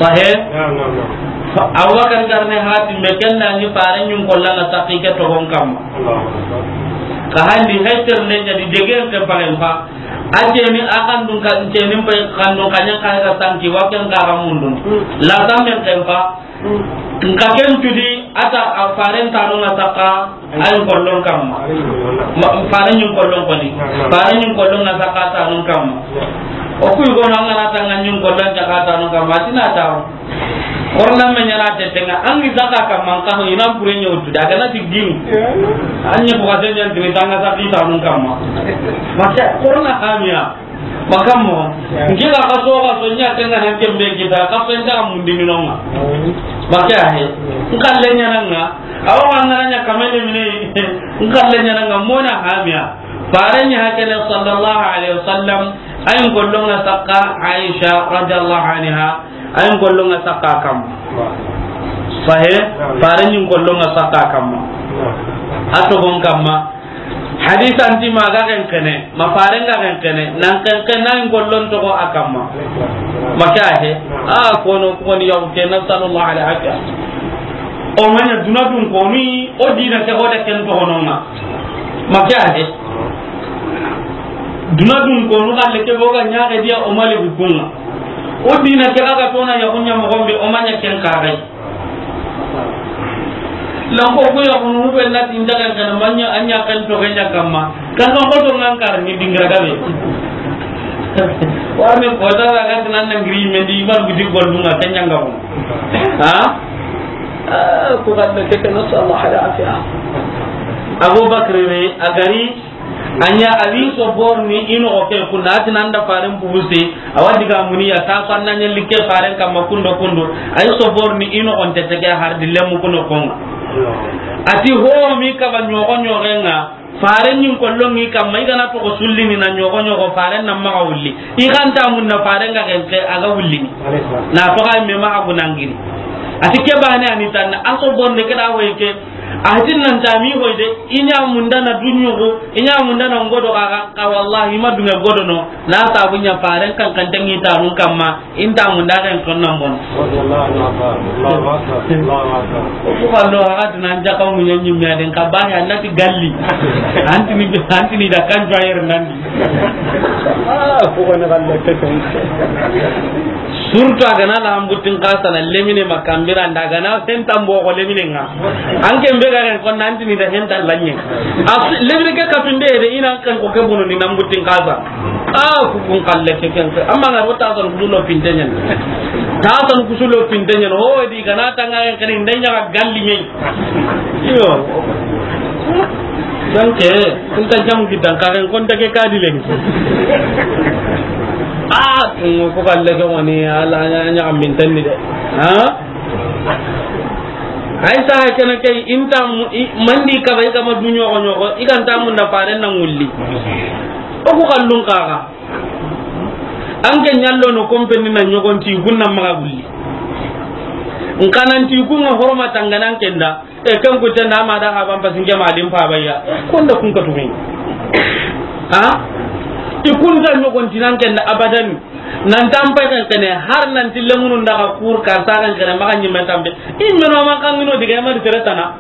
Sahe? Naam, naam, naam. Abu Bakr garni hakatin be, ken da ni fare ɲun kollonga saki ke togon kamma. Allahu Akbar. Ka handi heter ne ɲa di degen ke paren fa. A ce ni a xandun ka, ce ni pe xandun ka ɲa ka ga sanki wa ken ka ga mundun. Hmm. La samen ken fa. Nka ken tudi, ata a faren tanonga saka, ay n kollon kamma. Ma, faren ɲun kollon koni. Faren ɲun kollonga saka tanon kamma. O kuy gono an ga na tanga ɲun kollon saka tanon kamma, a ti na tawo. Korna me ɲana tetenga, an ni saka kamma, an kano ina bure ɲotu, daga na tigini. An ɲe buga sen ɲan tini tanga saki tanon kamma. Maka, korna hamiya. Makammo, nke ga kaso, kaso ɲa tenga hanke mbe kita, kaso nda mundi minonga. Maka he, nkalle ɲananga, awa ngana ɲa kamene mine, nkalle ɲananga mona hamiya. Faren ɲa hakene sallallahu alaihi wasallam, ay n kollonga saka Aisha radiyallahu anha, ay n kollonga saka kam. Sahe, faren ɲa n kollonga saka kam. A togon kamma. Hadisan ti ma ga ken kene, ma faren ga ken kene, nan ken ken nan gollon togo a kamma. Maka he, a kono koni yaw ke, nasallallahu alaihi wasallam. O maɲa duna dun koni, o dina ke hoda ken togononga. Maka he. Duna dun konu kalle ke boga ɲaxe dia o mali bukunga. O dina ke aga tona ya kunya mo gombe o maɲa ken kagai. Lanko ko ya kunu be na tinda kan kana manya anya kan to ganya kamma. Kan ko to ngan kar ni dingra gabe. Warne ko ta ga kan nan ngiri men di man gudi gollunga kanyanga mo. Ha? Ah, ko kan ke kana sallallahu alaihi wasallam. Abu Bakr ne a gari Anya abi soborni ino o ke kunda, ati nanda faren pubuse, awa diga muniya, ta ko anna nyalli ke faren kamma kundo kundo, ay soborni ino on tetege har di lemu kuno konga. Ati ho mi kaba nyogo nyogenga, faren nyin kollongi kamma, igana to ko sullini na nyogo nyogo, faren na maga wulli. Iganta mun na faren ga genke, aga wullini. Na to ga me ma agunangini. A ti ke baane a ni tanna, a so bonde ke da hoy ke. A ti nan ta mi hoy de, i ɲa munda na duɲugo, i ɲa munda na ngodo ga, ga, wallahi ma dunŋe godo no, na sabu ɲa faren kan kan tangi ta nun kamma, in ta munda ga ton nan bon. Radiyallahu anhu. Allahu akbar. Allahu akbar. Ko ko allo ha ga nan jaka mu ɲa ɲi mi aden ka ba ya na ti galli. Antini, antini da kan jayer nan. Ah, ko ko ne galle ke. Surtout a ga na la hambutin kasa na lemine ma kambira nda a ga na henta mbo ko lemine ŋa. An ke be ga ren ko nan tini da henta lanye. As lemine ke ka tunde de ina kan ko ke bono ni na hambutin kasa. Ah, ku kun kalle ke ken. Amma na rota san kulo pintenyen. Ta san kusulo pintenyen. Ho di ga na tanga ren kan inda ɲa galli ɲe. Iyo. Donc, kun ta jam gidan ka ren kon ta ke kadi len. Ah, ko kalle ke woni ala ɲa, ɲa min tanni de. Ha? Ay sa kene ke inta mu-, i, mandi ka bai kama duɲo ko ɲoko, i kan ta mun da faren na ngulli. O ku kallun kaga. An ke ɲallo no kompeni na ɲogon ti gunna maga gulli. Nkanan ti kunga horma tanganan kenda. E, ken kutte na ma da haban pasin ke malin pa bayya. Konda kun ka tumi. Ha? I kunta ɲogon tinan kenda abadan. Nan tan pay kan kene har nan tille munun daga kur ka sa kan kene maga ɲimme tambe. I meno man kan no diga ma di tere tana.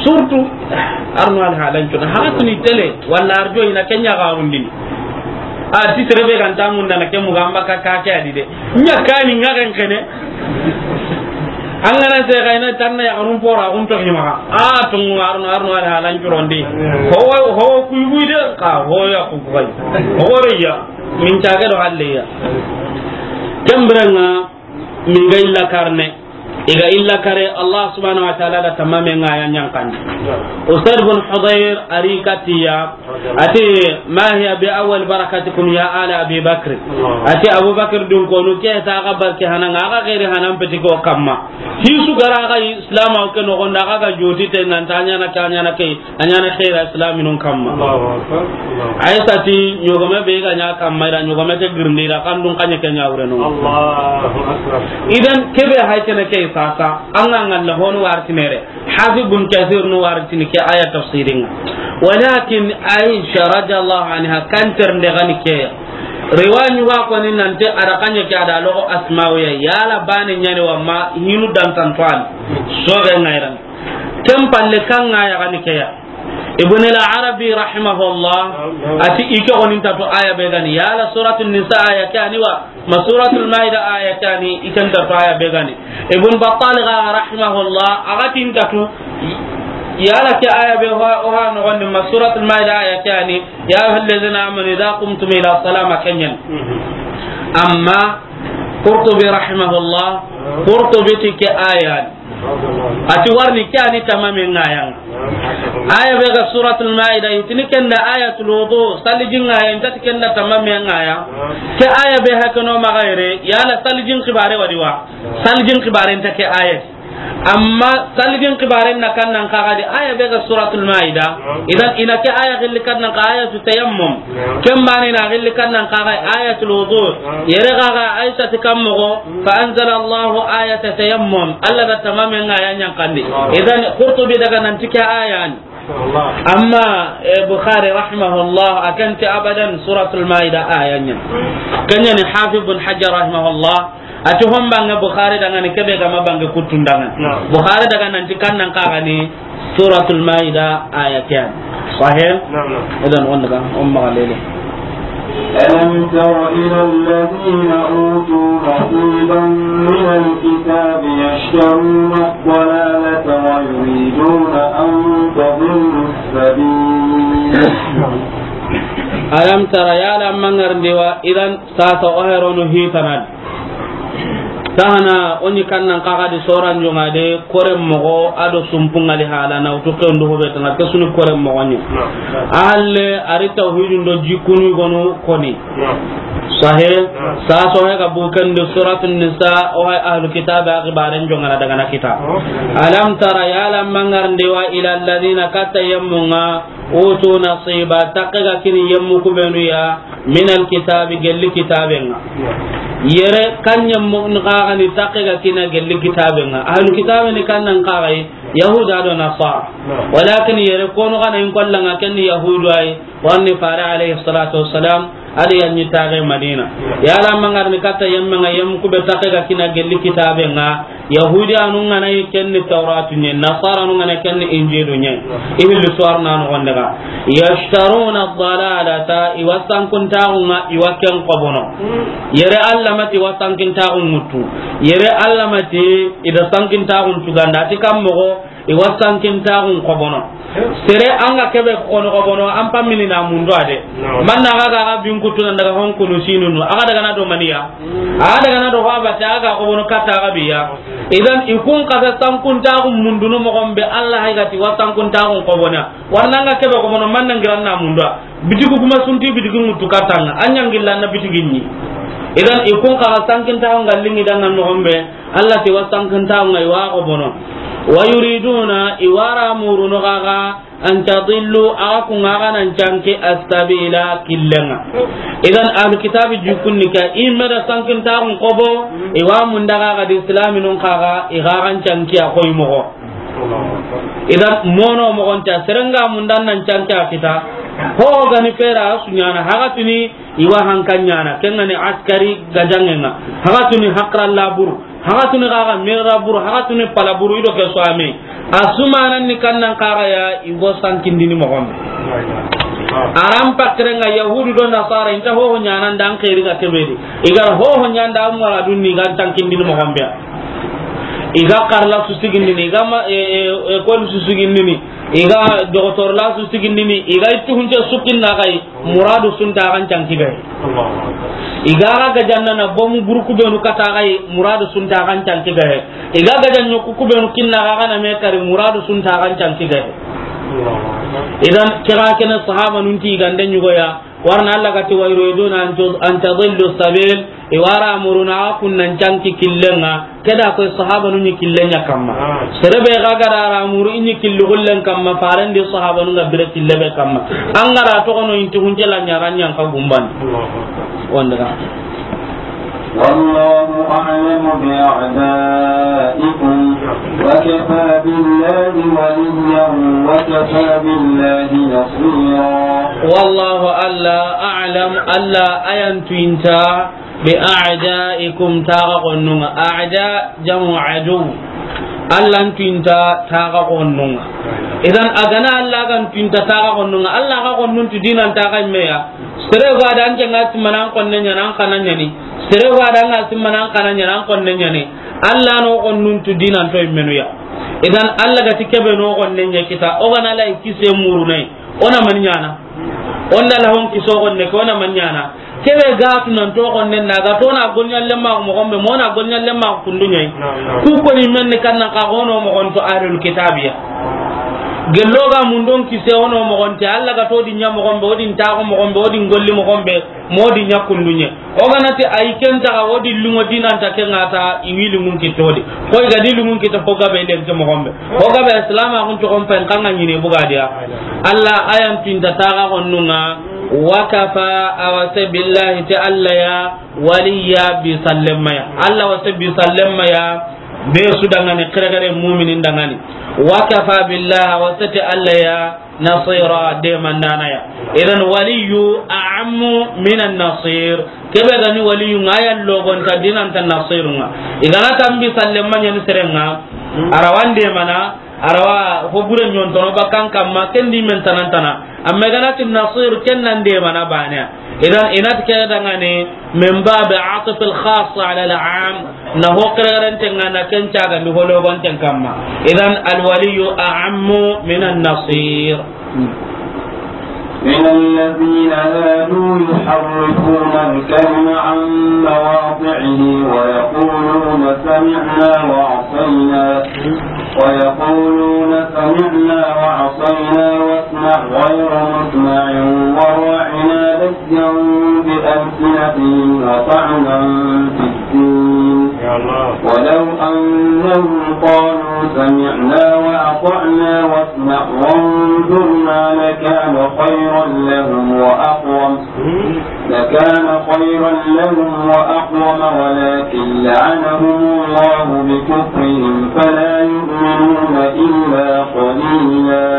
Surtout arno al halan cuna. Ha tuni tele wala arjo ina kenya ga rundini. A ti tere be kan tamun dana ke mu gamba ka ka ke adi de. Ɲa kani ŋa ken kene. An ga na se ga ina tanna ya arun pora un to hima. A tungu arno, arno ala halan curondi. Ho, ho ku yu de ka ho ya ku kai. Ho re ya. Min ta ga do halle ya. Kembranga. Min ga illa karne. I ga illa kare Allah subhanahu wa ta'ala da tamame ŋa ya ɲankandi. Usaid bin Hudayr a ri katiya, ati, "Ma hiya bi awwal barakatikum ya ala Abi Bakr." Ati, Abu Bakr dun konu ke ta ga barke hanan, a ga gairi hanan peti ko kamma. Hisu gara ga Islam o ke no gonda ga joti te nan ta ɲa na ka ɲa na ke. A ɲa na xeera islaminun kamma. Allahu akbar. Allahu akbar. Aisha ti, ɲogome be ga ɲa kamma, i da ɲogome ke girindi, i da kandun kanye ke ɲa wure no. Allahu akbar. Idan, kebe hay kene ke sasa, an ga ngalla honu wartinere. Hafiz bin Kathir no wartini ke aya tafsirin. Walakin Aisha radiyallahu anha kan ternde gani ke. Riwaya ɲuga koni nante a da kanye ke a da logo Asma'u ya. Yala bane ɲani wa ma hinu dan tantuan. So be ngairan. Ken palle kan ŋa ya gani ke ya. Ibn al-Arabi rahimahullah, ati i ke gonin ta to aya be gani. Yala Suratul Nisa aya ke ani wa, ma Suratul Maida aya ke ani, i kan ta to aya be gani. Ibn Battal ga rahimahullah, a ga tin ta to, yala ke aya be ho, o ha no gonin ma Suratul Maida aya ke ani, "Ya ayyuhallazina amanu idha qumtum ila salah" ma kenyan. Amma Qurtubi rahimahullah, Qurtubi ti ke aya. Ati warni ke ani tamame ŋa ya. Aya be ga Suratul Maida, itini kenda ayatul wudu, salijin ŋa ya, inta ti kenda tamame ŋa ya. Ke aya be hakano magayre, yala salijin kibare wadi wa. Salijin kibare inta ke aya. Amma salijin kibare na kan nan kaga di aya be ga Suratul Maida. Idan ina ke aya gilli kan nan ka ayatu tayammum. Ken bane na gilli kan nan kaga ayatul wudu. Yere ga ga Aisha ti kammo go. Fa anzala Allahu ayata tayammum. Allah da tamame ŋa ya ɲankandi. Idan Qurtubi daga nan ti ke aya ni. Amma, eh, Bukhari rahimahullah, a kan ti abadan Suratul Maida aya ɲa. Kanya ni Hafiz bin Hajar rahimahullah, a ti hon bange Bukhari dangani kebe ga ma bange kutun dangani. Bukhari daga nan ti kan nan kaga ni Suratul Maida aya ke ya. Sahih? Naam, naam. Idan wanda ga, umma galele. ألم تر إلى الذين أوتوا نصيبا من الكتاب يشترون الضلالة ويريدون أن تضلوا السبيل. Alam tara, yala mangar ndewa, idan sasa o herono hitanad. Sahana, o ni kan nan kaga di soran jonga de, kore mogo, ado sumpungali hala, na utu ke undu hobe tanga, ke suni kore mogo ni. Naam. Ahalle, ari tawhidun do jikunu gonu koni. Naam. Sahe, naam. Sa so he ga bukan di Suratun Nisa, o hay ahlul kitab a gibaren jonga na daga na kita. Oh. Alam tara, yala mangar ndewa ila alladhina kata yamunga, Utu nasiba, takke ga kini yemmu kubenu ya, minal kitabi, gelli kitaben ŋa. Yere kan yemmu n xaxani takke ga kina gelli kitaben ŋa. Ahlu kitabe ni kan nan xaxai, Yahuda do Nasara. Walakin yere kono xana in kolla ŋa ken ni Yahudu ay, warni fare alayhi salatu wassalam, adi yanni tage Madina. Yala mangar ni katta yemme ŋa yemmu kube takke ga kina gelli kitaben ŋa. Yahudiyanun ŋa na yi ken ni Tawratu ɲa, Nasaranun ŋa na ken ni Injilu ɲa. I hilli suwar na no gonde ga. Yashtaruna dalalata, i wa sankintaxun ŋa, i wa ken xobono. Yere Alla ma ti i wa sankintaxun ŋuttu. Yere Alla ma ti i da sankintaxun tuganda. A ti kan moxo, i wa sankintaxun xobono. Sere an ga kebe kono xobono, an pammini na mundu a de. Naam. Man na ga ga ga bin kutu nan daga hon kunu sinunu. A ga daga na do maniya. A ga daga na do fa ba ta ga xobono kata ga biya. Idan i kun kasa sankintaxun mundunu moxon be Alla hay ga ti wa sankintaxun xobona. Warna an ga kebe xobono man nan giran na mundu a. Bitigu kuma sunti bitigi ŋuttu katanga. An ɲangilla na bitigi ɲi. Idan i kun kasa sankintaxun ga lingi dan nan moxon be. Alla ti wa sankintaxun ŋa i wa xobono. Wa yuriduna, i wa ra murunu xa ga, an tadillu, a ga kun ŋa ga nan canki, as-sabila, killen ŋa. Idan ahlu kitabi jukunni ka i me da sankintaxun xobo, i wa munda xa ga di islaminun xa ga, i xa ga n canki a xoy moxo. Idan mono moxon ta, sere nga mundan nan canki a kita, ho gani fera su ɲana, haga tuni i wa hankan ɲana, ken ŋa ni askari gajangen ŋa, haga tuni hakra labur, haga tuni xa ga mera buru, haga tuni pala buru, i do ke so ame. A su manan ni kan nan xa ga ya, i go sankindini moxon be. Aran pakren ŋa Yahudu do Nasara, i nta hoho ɲana ndan xeri ga kebe di. I ga hoho ɲanda mara dunni ga sankindini moxon be. I ga karla su sigindini, i ga ma, e, e, école su sigindini, i ga docteur la su sigindini, i ga ittu hunce sukinna ga yi. Muradu su nta xa n canki ga he. I ga ga gajanna na bomu burku benu kata ga yi, muradu su nta xa n canki ga he. I ga gajanna ku kubenu kinna ga ga na me kari, muradu su nta xa n canki ga he. Idan kira kene sahabanun ti gande ɲugo ya, warna Alla ga ti wa yuriduna an tu-, an tadillu sabil, i wa ra murunu xa kun nan canki killen ŋa. Ke da koy sahabanun ɲi killen ɲa kamma. Ah. Sere be ga ga da ra muru i ɲi killu gullen kamma, farendi sahabanun ga bire kille be kamma. An ga da toxono inti hunce la ɲaran ɲan ka gumban. Allahu Akbar. Wonde ga. والله أعلم بأعدائكم وكفى بالله وليا وكفى بالله نصيرا. والله، Alla, أعلم، Alla a yan tuinta, بأعدائكم, taxa xonnun ŋa. A'da jamu adu. Alla n tuinta taxa xonnun ŋa. Idan a ga na Alla ga n tuinta taxa xonnun ŋa, Alla xa xonnun tu dinan taxa me ya. Sere ga da an ke ŋa simana an xonne ɲana, an xana ɲani. Sere ga da an ŋa simana an xana ɲana, an xonne ɲani. Alla no xonnun tu dinan to immenu ya. Idan Alla ga ti kebe no xonne ɲa kita, o ga na lay kise murunai. O na man ɲana. O nda la hon kiso xonne ke, o na man ɲana. Kebe ga tu nan to xonne na ga to na golɲalle ma moxon be, mo na golɲalle ma kundu ɲai. Naam, naam. Ku ko ni men ni kan na xa hono moxon to ahlul kitabiya. Gello ga mundon kise hono moxon te, Alla ga to di ɲa moxon be, o di n taxo moxon be, o di n golli moxon be, mo di ɲa kundu ɲe. O ga na ti ay ken taxa, o di lungo dinan ta ke ŋa ta, i wi lungun kitto di. Koy ga di lungun kitto ko gabe len ke moxon be. Ho gabe Islam a kun to kon pen kan ŋa ɲini buga dia. Alla a yan tuinta taxa xonnun ŋa, wa kafa, a wa se billahi, ti Alla ya, waliya, bi sallemma ya. Alla wa se bi sallemma ya, be su dangani, xerexere muminin dangani. Wa kafa billahi, a wa se ti Alla ya, nasira, demandana ya. Idan waliyu a'ammu minan nasir. Kebe ga ni waliyu ŋa ya logonta dinanta nasirun ŋa. I ga na tambi sallemma ɲani seren ŋa. A ra wa n demana, a ra wa fo bure ɲontono bakkan kamma, ken di men tanantana. Amma i ga na ti nasir, ken na n demana bane ya. Idan i na ti ke dangani min babi atf al khas ala al am. Na ho xerexerenten ŋa na ken cagandi ho logonten kamma. Idan, al waliyu a'ammu minan nasir. من الذين هادوا يحرفون الكلم عن مواضعه ويقولون سمعنا وعصينا، ويقولون سمعنا وعصينا واسمع غير مسمع وراعنا ليا بألسنتهم وطعنا في الدين. يا الله. ولو أنهم قالوا سمعنا وأطعنا واسمع وانظرنا لكان خيرا لهم وأقوم، لكان خيرا لهم وأقوم، ولكن لعنهم الله بكفرهم فلا يؤمنون إلا قليلا.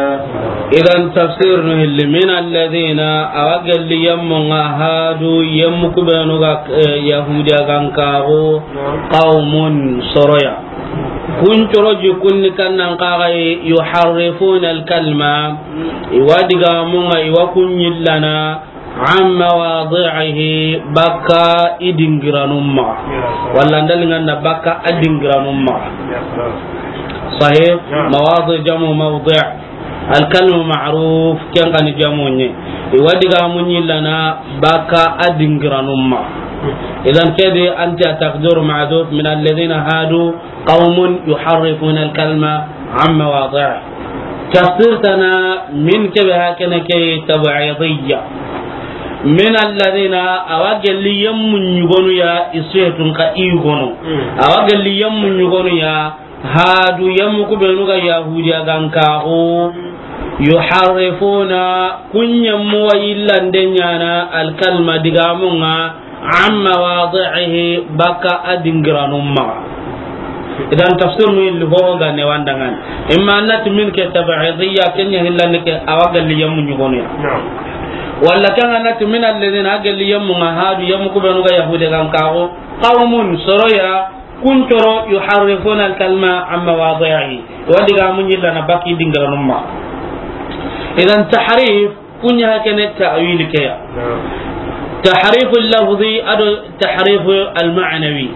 Idan tafsir nu hilli, min alladhina, a wa gelli yemmu ŋa hadu, yemmu ku benu ga, eh, Yahudiya gankaxu, qawmun, soroya. Kun coro ji kunni kannan kaxayi, yuharrifuna alkalima, i wa digamu ŋa, i wa kun yillana, an mawadi'ihi, bakka i dingiranun maxa. Walla ndali ŋa na bakka a dingiranun maxa. Sahih? Mawadi' jamu mawdi'. Alkalmu ma'ruf, ken xa ni jamu ɲi. I wa digamun yillana bakka a dingiranun maxa. Idan kedi anti a taqdiru mahdhuf, min alladhina hadu qawmun yuharrifuna alkalima an mawadi'i. Tafsir tana min kebe hakene ke tab'idiyya. Min alladhina, a wa gelli yemmu ɲugonu ya, i su ye tun ka i yugonu. A wa gelli yemmu ɲugonu ya, hadu, yemmu ku benu ga Yahudiya gankaxu, yuharrifuna, kun yemmu wa yillande ɲana, alkalima, digamu ŋa, an mawadi'ihi, bakka a dingiranun maxa. Idan tafsir nu illi ho ga ne wa nda ŋa ni. Imma annati min ke tab'idiyya, ken ɲa hillandi ke a wa gelli yemmu ɲugonu ya. Walla ken annati min alladhina, a gelli yemmu ŋa hadu, yemmu ku benu ga Yahudiya gankaxu, qawmun, soroya, kun coro, yuharrifuna alkalima an mawadi'ihi. Wa digamun yillana bakka i dingiranun maxa. Idan tahrif, kun ɲa hakene ta'wil ke ya. Tahrifu lafzi ado tahrifu alma'nawi.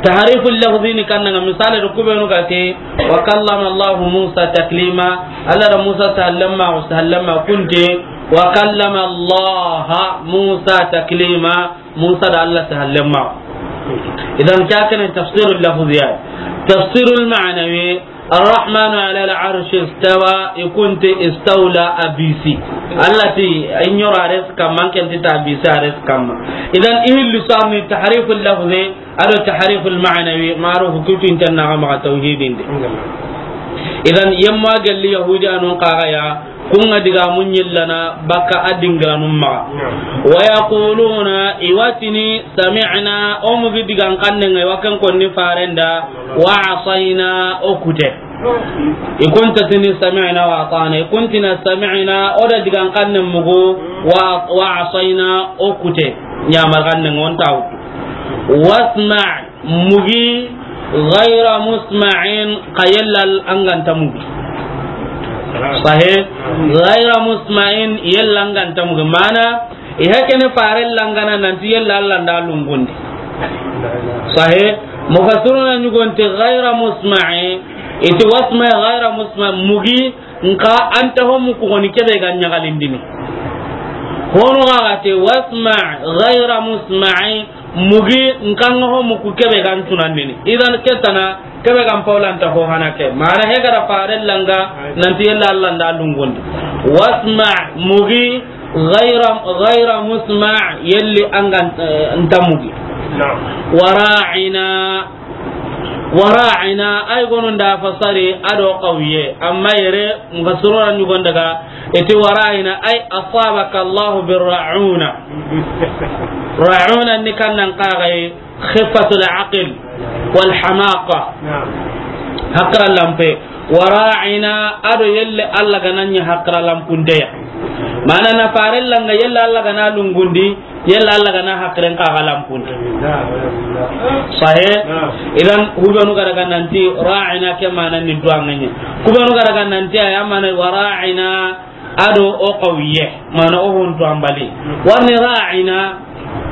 Tahrifu lafzi ni kannan ŋa misali do ku benu ga ti, wa kallama Allahu Musa taklima. Alla da Musa sallama, sallama kunte, wa kallama Allaha Musa taklima. Musa da Alla sallama. Idan ke hakene tafsirul lafzi ya. Tafsirul ma'nawi, Arrahmanu ala al-arshi istawa, i kunte istawla a bisi. Alla ti, a ɲoro a res kamma, ken ti ta bisi a res kamma. Idan, i hilli sarni tahriful lafzi, ado tahriful ma'nawi, ma'ruf kutu intanna ga maxa tawhidin di. Idan, yemma gelli Yahudiyanun kaxa ya, kun ŋa digamun yillana bakka a dingiranun maxa. Wa yaquluna, i wa tini, sami'na, o mugi digan xannen ŋa, i wa ken konni farenda, wa asayna, o kute. I kunta tini sami'na wa ata'na, i kuntini sami'na, o da digan xannen mugu, wa, wa asayna, o kute. Ɲamar xannen ŋa o nta wutu. Wasma', mugi, ghayra musma'in, xa yella an ga nta mugi. Sahih? Ghayra musma'in, yella an ga nta mugi. Mana, i hakene fare langana nanti yella Alla nda lungundi. Sahih? Mufassiruna ɲugonti ghayra musma'in, iti wasma' ghayra musma', mugi, nka anta ho muku goni kebe ga ɲagalindini. Hono ga ga te wasma' ghayra musma'in, mugi, nka nga ho muku kebe ga ntunandini. Idan ketana, kebe ga mpawlanta ho hana ke. Mana he gara fare langa, nanti yella Alla nda lungundi. Wasma', mugi, ghayra, ghayra musma', yelli an ga, eh, nta mugi. Wa ra'ina, wa ra'ina, ay gono nda fasari ado qawiye, amma yere mufassiruna ɲugon daga, iti wa ra'ina, ay asabaka Allahu bir ra'una. Ra'una ni kannan kaxay, khifatul aql wal hamaqa. Hakra lampe. Wa ra'ina, ado yelle Alla ga na ɲi hakra lampundeya. Mana na fare langa yelle Alla ga na lungundi, yelle Alla ga na hakren kaxa lampundi. Sahih? Idan, hubenu ga daga nanti ra'ina ke mana ni duwanganye. Kubenu ga daga nanti aya mana wa ra'ina, ado o qawiye, mana o hontu ambali. Warni ra'ina,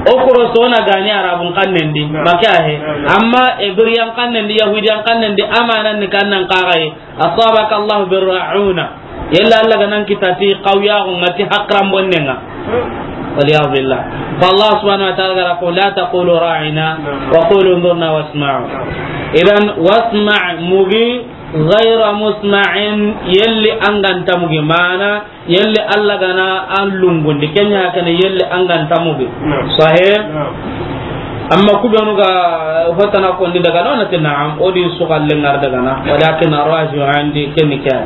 o koroso na gani Arabun xannen di, make ahe. Amma Ibriyan xannen di, Yahudiyan xannen di, amanan ni kannan kaxay, asabaka Allahu bir ra'una. Yella Alla ga nan kitati qawiya ko ngati hakran bonnenga. Wal iyad billah. Fa Allah subhanahu wa ta'ala gara ko, la taqulu ra'ina, wa qulu unzurna wasma'u. Idan wasma', mugi, ghayra musma'in, yelli an ga nta mugi, mana yelli Alla ga na an lungundi, kenya hakana yelli an ga nta mugi. Sahih? Amma ku benu ga hotana kondi daga na, o na ti naam, o di su xalle ŋa daga na, walakin arraju andi ke ni ke.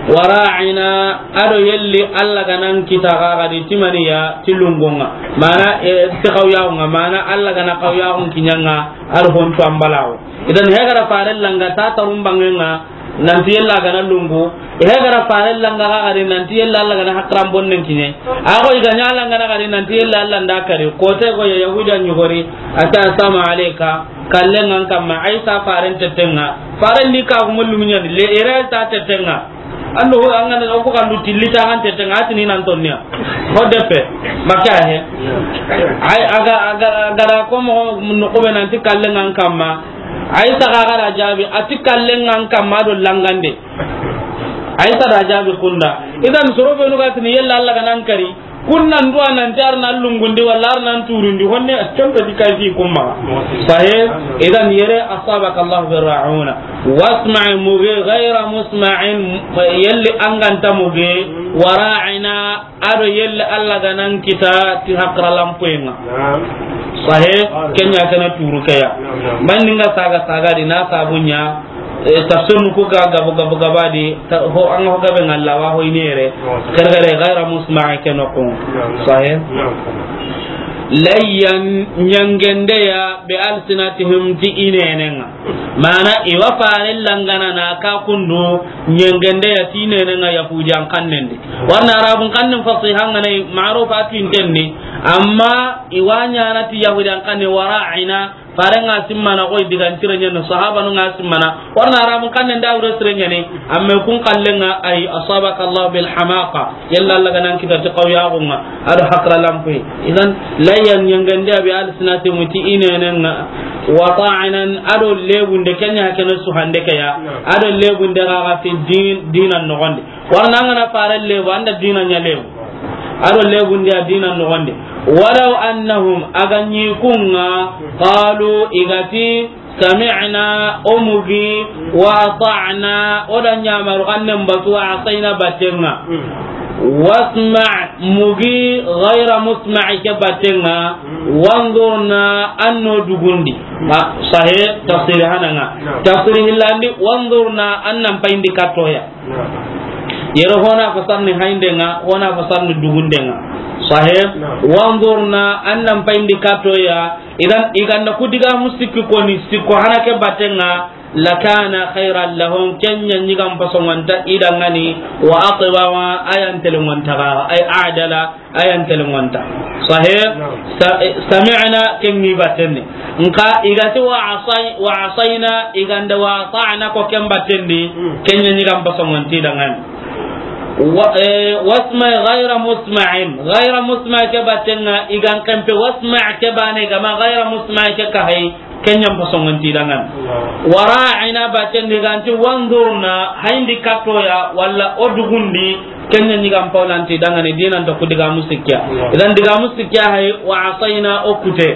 Wara'ina, ado yelli Alla ga nan kita ga ga di ti maniya ti lungo ŋa. Mana, e, ti xawyaxu ŋa, mana Alla ga na xawyaxun kiɲa ŋa, ado hontu an balawo. Idan hegara fare langa ta tarun bange ŋa, nanti yella ga na lungu. Hegara fare langa ga ga di nanti yella Alla ga na hakran bonnen kiɲe. A go i ga ɲa langa na ga di nanti yella Alla nda kari. Ko te go ya Yahuda ɲugori, ata sama aleka, kalle ŋan kamma, Aisa faren tetten ŋa. Faren di ka gumullu miɲan, le ere ta tetten ŋa. Ando ho an ga na ko kan du tilli ta kan tetten ŋa, a ti ni nan tonniya. Ho depe, maka he. Ay, aga, aga, aga da ko mo no ko be nanti kalle ŋan kamma. Aisa ga ga da jabi, a ti kalle ŋan kamma do langande. Aisa da jabi kunda. Idan soro benu ga ti ni yella Alla ga nan kari. Kun nan duwa nan ti ar nan lungundi wala ar nan turundi. Honne a conto di kay fi kumma. Sahih. Idan yere asabaka Allah bi ra'una. Wasma' mugi ghayra musma'in, yelli an ga nta mugi, wara'ina, ado yelli Alla ga nan kita ti hakra lampuyen ŋa. Naam. Sahih, ken ɲa ke na turu ke ya. Naam, naam. Mani ŋa saga saga di na sabu ɲa, e, tafsir nu ku ga gabu gabu gaba di, ta-, ho an ho gabe ŋa la wa ho i nere. Naam. Kere kere ghayra musma' ke no ko. Naam, naam. Sahih. Naam. Layyan ɲangende ya bi alsinatihim ti i nenen ŋa. Mana i wa fare langa na na ka kundu ɲangende ya ti i nenen ŋa Yahudiyan xannen di. Warna Arabun xannen fasiha ŋa ne ma'ruf a tu inten ni. Amma i wa ɲana ti Yahudiyan xannen wara'ina, fare ŋa simmana ko i digan tire ɲen sahabanu ŋa simmana. Warna Arabun xannen da wure sire ɲani. Amma kun kalle ŋa ay asabaka Allah bil hamaqa. Yalla Alla ga nan kita ti xawyaxu ŋa, ado hakra lampuye. Idan, layyan ɲangende ya bi alsinatihim ti i nenen ŋa, wa ta'nan, ado lebunde ken ɲa ke na su hande ke ya, ado lebunde ga ga fi din, dinan noxon di. Warna an ga na fare lebu, an da dinan ɲa lebu. Ado lebunde ya dinan noxon di. Walaw annahum, a ga ɲi kun ŋa, qalu, i ga ti, sami'na, o mugi, wa ata'na, o da ɲamaru xannen batu, wa asayna batten ŋa. Wasma' mugi, ghayra musma' ke batten ŋa, wanzurna, an no dugundi. Ma, sahih, tafsir hana ŋa. Tafsir hillandi, wanzurna, an nan payindi kattoya. Yere hona fasarni hayinde ŋa, hona fasarni dugunde ŋa. Sahih, wanzurna, an nan payindi kattoya, Idan, i ga nda ku digamu sikki koni, sikko hana ke batten ŋa, lakana khayran lahum, ken ɲa ɲi ga n pasongonta i danŋa ni, wa aqwama, a yan telengonta ga, ay adala, a yan telengonta. Sahih? Naam. Sa-, eh, sami'na, ken ŋi batten ni. Nka, i ga ti wa asay-, wa asayna, i ga nda wa ata'na ko ken batten ni, hmm, ken ɲa ɲi ga n pasongonta i danŋa ni. Wa, eh, wasma' ghayra musma'in. Ghayra musma' ke batten ŋa, i ga n kempe wasma' ke bane ga ma ghayra musma' ke ka hay, ken ɲa n pasongonta i danŋa ni. Wa ra'ina batten di ga nti wanzurna, hayindi kattoya, walla o dugundi, ken ɲa ɲi ga n pawlanta i danŋa ni, dinan ta ku digamu sikkiya. Idan digamu sikkiya hay, wa asayna o kute.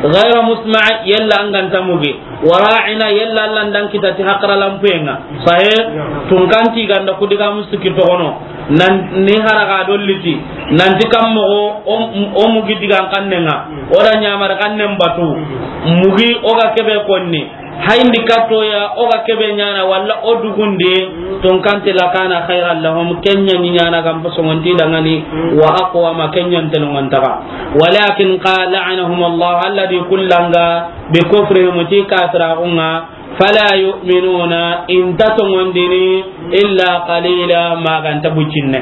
Ghayra musma', yalla an ga nta mugi. Wa ra'ina, yalla Alla nda n kita ti hakra lampuyen ŋa. Sahih, tunkanti i ga nda ku digamu sikki toxono. Nan ni haraga do liti. Nanti kam moxo, o, o mugi digan xannen ŋa. O da ɲamar xannen batu. Mugi o ga kebe konni. Hayindi kattoya, o ga kebe ɲana, walla o dugundi, tunkanti lakana khayran lahum, ken ɲa ɲi ɲana ga n pasongonta i danŋa ni, wa aqwama, ken ɲa n telengonta ga. Walakin qala la'anahum Allah, Alla di ku langa, bi kufrihim, ti kafiraxun ŋa, fala yu'minuna, i nta tongondini, illa qalila, ma ga nta bucinne.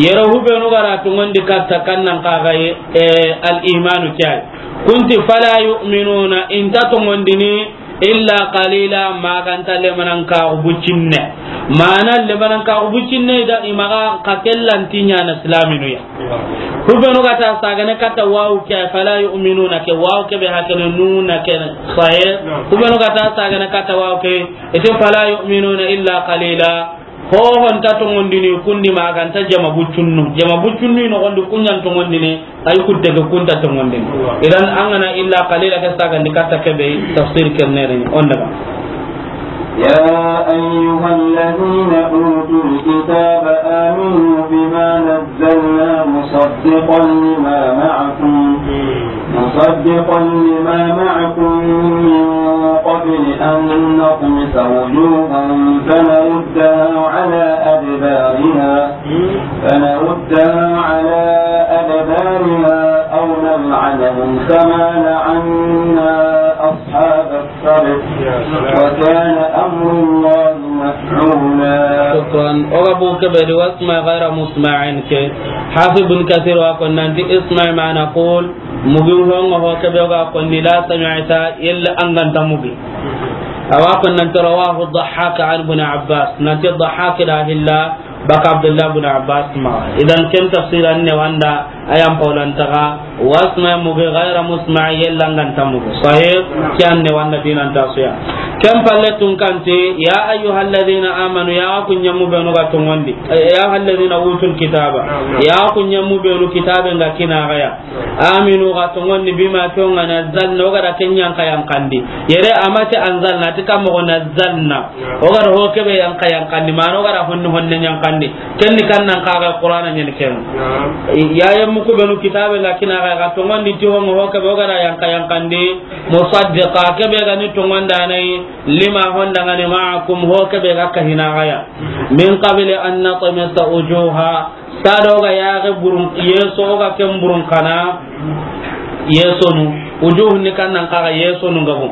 Yere hubenu ga ra tongondi katta kannan kaxaye, eh, al imanu kiyai. Kunti fala yu'minuna, i nta tongondini, illa qalila, ma ga nta lemanan kaxu bucinne. Mana lemanan kaxu bucinne, i da i maxa ka kellanti ɲana silaminu ya. Hubenu ga ta sagane katta wawu ke, fala yu'minuna ke, wawu ke be hakene nuna ke, sahih. Hubenu ga ta sagane katta wawu ke, ite fala yu'minuna illa qalila. Ho ho nta tongondini kundi ma ga nta jama bucunnu. Jama bucunnu i noxondi ku ɲa n tongondini, ay kutte ke ku nta tongondini. Idan an ga na illa qalila ke sagandi katta ke be tafsir ke nere ni. On daga. يا أيها الذين أوتوا الكتاب آمنوا بما نزلنا مصدقا لما معكم. مصدقا لما معكم من قبل أن نطمس وجوها فنردها على أدبارها، فنردها على أدبارها أو نلعنهم كما لعنا أصحاب السبت، وكان أمر الله مفعولا. شكرا. Oga bu kebe di واسمع غير مسمع ke. Hafiz bin Kathir wa ko nanti اسمع ما نقول. Mugi ho nga ho kebe ga ko ni la sami'ta, yella an ga nta mugi. Awa ko nanti رواه الضحاك عن ابن عباس. Nanti Dhahhak da hilla baka Abdullah bin Abbas ma. Idan ken tafsiran ne wanda ayan paulan taga, واسمع, mugi, غير مسمع, yella an ga nta mugi. Sahih, kiyan ne wanda dinan tasuya. Ken palle tun kanti, يا أيها الذين آمنوا, ya ku ɲamu benu ga tongondi. Eh, يا أيها الذين أوتوا الكتاب. Ya ku ɲamu benu kitabe nga kina gaya. آمنوا, ga tongondi, بما, ke nga نزلنا, o ga da ken yanka yankandi. Yere amati أنزلنا, ti kam mo نزلنا. O ga da ho kebe yanka yankandi, mano o ga da honne honne yankandi. Ken ni kan nan ka ga Qur'ana nyen ken. Naam. Ya yemmu ku benu kitabe nga kina ga, ga tongondi ti ho, ho kebe o ga da yanka yankandi. مصدقا, kebe ga ni tongonda nay, لما, honda nga ni معكم, ho kebe ga kahina gaya. من قبل أن نطمس وجوها, Sado ga yaxe burun, yeso ga ken burun kana, yesonu, وجوه ni kan nan kaga yesonu ngabo.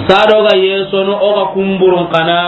Sado ga yesonu, o ga kun burun kana,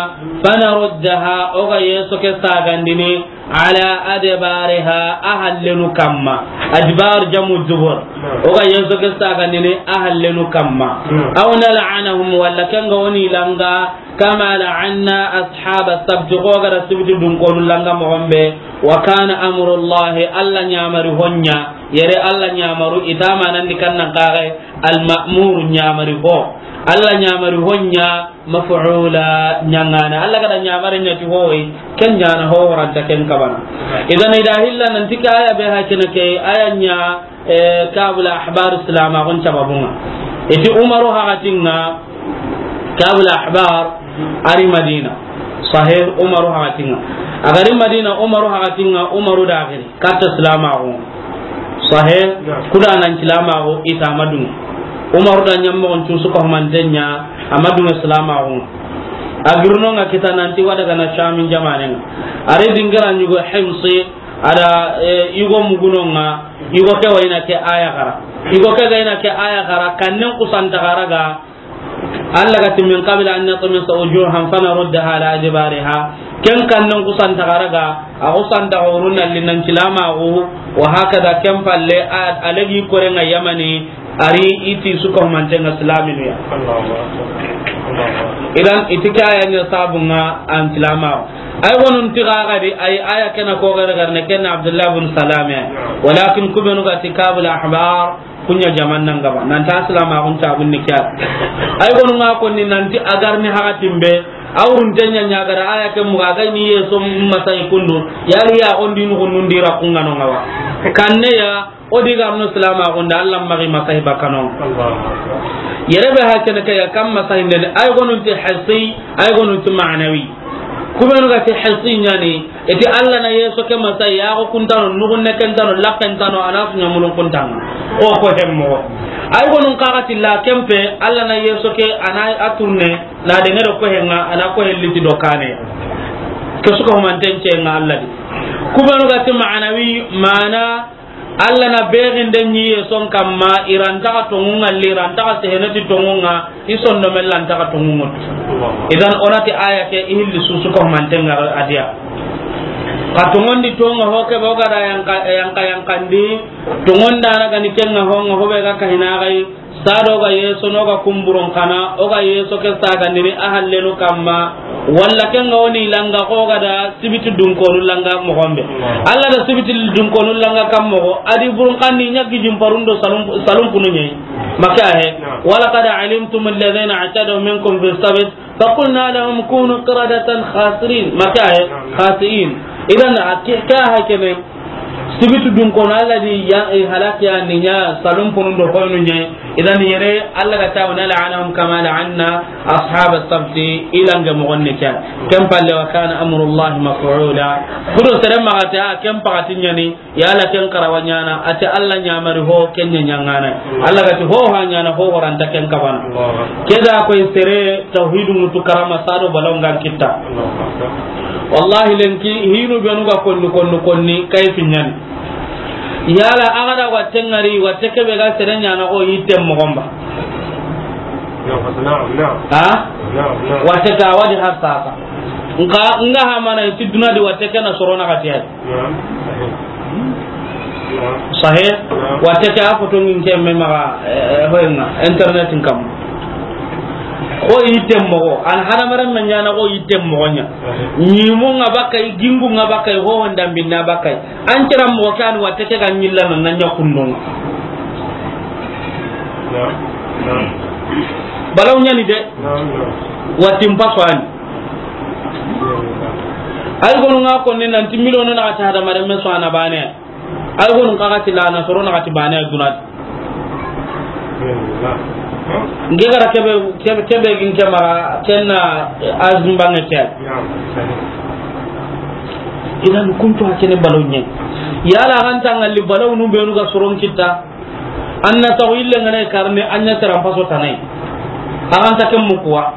فنردها, o ga yeso ke sagandini, على أدبارها, a hallenu kamma. أدبار جمع دبر. O ga yeso ke sagandini, a hallenu kamma. أو نلعنهم, walla ken ga woni langa, كما لعنا أصحاب السبت, ko ga da sibiti dunkonu langa moxon be. وكان أمر الله, Alla ɲamari ho ɲa, yere Alla ɲamaru, i ta manandi kan nan kaxe, المأمور, ɲamari ho. Alla ɲamari ho ɲa, مفعولا, ɲangana. Alla ga da ɲamari ɲa ti hoyi, ken ɲana ho horanta ken kabana. Idan i da hilla nanti ke aya be hakene ke, aya ɲa, eh, Ka'bul Ahbar silamaxun sababunga. I ti Umaru hakatinga, Ka'bul Ahbar ari Madina. Sahih, Umaru hakatinga. A ga ri Madina, Umaru hakatinga, Umaru da giri. Katta silamaxu. Sahih, kuda nan silamaxu, i ta madunga. Umaru da ɲammoxon cusu ko manten ɲa, a madunga silamaxu. A girnonga kita nanti wada gana Shamin jamanenga. Ari dingira ɲugo Himsi, ada, eh, yugo mugunonga, yugo ke wayna ke aya xara. Yugo ke gayna ke aya xara, kannen kusanta xaraga, Alla ga ti من قبل أن نطمس وجوها فنردها على أدبارها. Ken kannen kusanta xaraga, a kusanta xorun nalli nan silamaxu, وهكذا ken palle, a, a legi korenga Yamani, ari i ti suka humantenga silaminu ya. Allahu Akbar. Allahu Akbar. Idan, i ti ke aya ɲa sabunga an silamaxu. Ay gonun ti gaga di, ay aya kena ko gare garne, ken Abdullah bin Salam ya. Walakin ku benu ga ti Ka'bul Ahbar, kunya jaman nan gaba. Nan ta silamaxun ta bunni kya. Ay gonun ga konni nanti a ga ri ni hakatin be, awrun tenya ɲa ga da aya ke muga ga ni yeso masai kundu. Yali ya ondi nu kunun dira kunga no ngawa. Kanne ya, O di ga no silamaxun da, Alla maxi masahi bakano. Allahu Akbar. Yere be hakene ke ya kam masahinde, ay gonun ti hissi, ay gonun ti ma'nawi. Ku benu ga ti hissi ɲani, i ti Alla na yeso ke masahi, yaxo kuntano, nugunne kentano, lakkentano, a na su ɲamulun kuntanga. O ko hemmo. Ay gonun kaga ti la kempe, Alla na yeso ke, a na a turne, na dengero ko henga, a na ko helliti do kane. Ke suka humanten cenga Alla di. Ku benu ga ti ma'nawi, mana Alla na bexinde ɲi yeson kamma, i ra nta xa tonŋunŋa li, i ra nta xa seheneti tonŋunŋa, i sondomen ra nta xa tonŋunŋa tu. Idan, o na ti aya ke, i hilli susu ko mantenŋa a diya. Xa tonŋondi tonŋa ho ke be o ga da yanka, yanka, yankandi, tonŋondana ga ni kenŋa honŋa, ho be ga kahina xa yi, Sado ga yeso no ga kumburon kana, o ga yeso ke sagandini a hallenu kamma, walla ken ga woni langa ko ga da sibiti dunkonu langa moxon be. Alla da sibiti dunkonu langa kam moxo, a di burun kandi ɲa gijin parundo salum, salum punu ɲeyi. Maka he, ولقد علمتم الذين اعتدوا منكم في السبت فقلنا لهم كونوا قردة خاسرين. Maka he, khasi'in. Idan a ke, ke hakene, Sibitu dun kono, Alla di ya, eh, halaki ya ni ɲa, salon ponun do hoynu ɲa. Idan yere, Alla ga ta wana, "La'anahum kama la'anna ashab as-sabt," ilange mogon ne kya. Ken palle, "Wa kana amrullahi maf'ula." Kudo sere maxa ta, ken paxati ɲa ni, yala ken karawa ɲa na, a ti Alla ɲamari ho, ken ɲa ɲaŋana. Alla ga ti ho ha ɲa na, ho horanta ken kabana. Keda koy sere, tawhidu mutu karama sado balongan kitta. Wallahi lenki, hinu benu ga konni, konni, konni, kay fi ɲa ni. Yala a ga da watte ŋari, watte kebe ga sere ɲa na ko yitte mogon ba. Na'am, na'am. Ha? Na'am, na'am. Watte ta wadi har sasa. Nka, nga ha mana iti duna di watte ke na soro na kati ay. Na'am. Sahih. Na'am. Watte ke a foto ngin ke me maga, eh, hoyenga, internet kam. Ko yitte mogo, an hadamaren na ɲa na ko yitte mogo ɲa. Sahih. Ɲimu nga bakay, gingu nga bakay, ho wanda binna bakay. An kira moxo ke ani watte ke ga ɲilla na na ɲa kundonga. Balaw ɲa ni de. Watin paso ani. Ay gonu nga konni nanti miliyono na kati hadamaren me so ana bane. Ay gonu ka kati la na soro na kati bane duna. Nge gara kebe, kebe, kebe gin ke mara, ken na azumba nge ke. Idan kuntu hakene balaw ɲa. Yala ganta ngalli balaw nu benu ga soron kitta. Anna taw ille ngane karne anya taram paso tanai. Aganta kem mukuwa.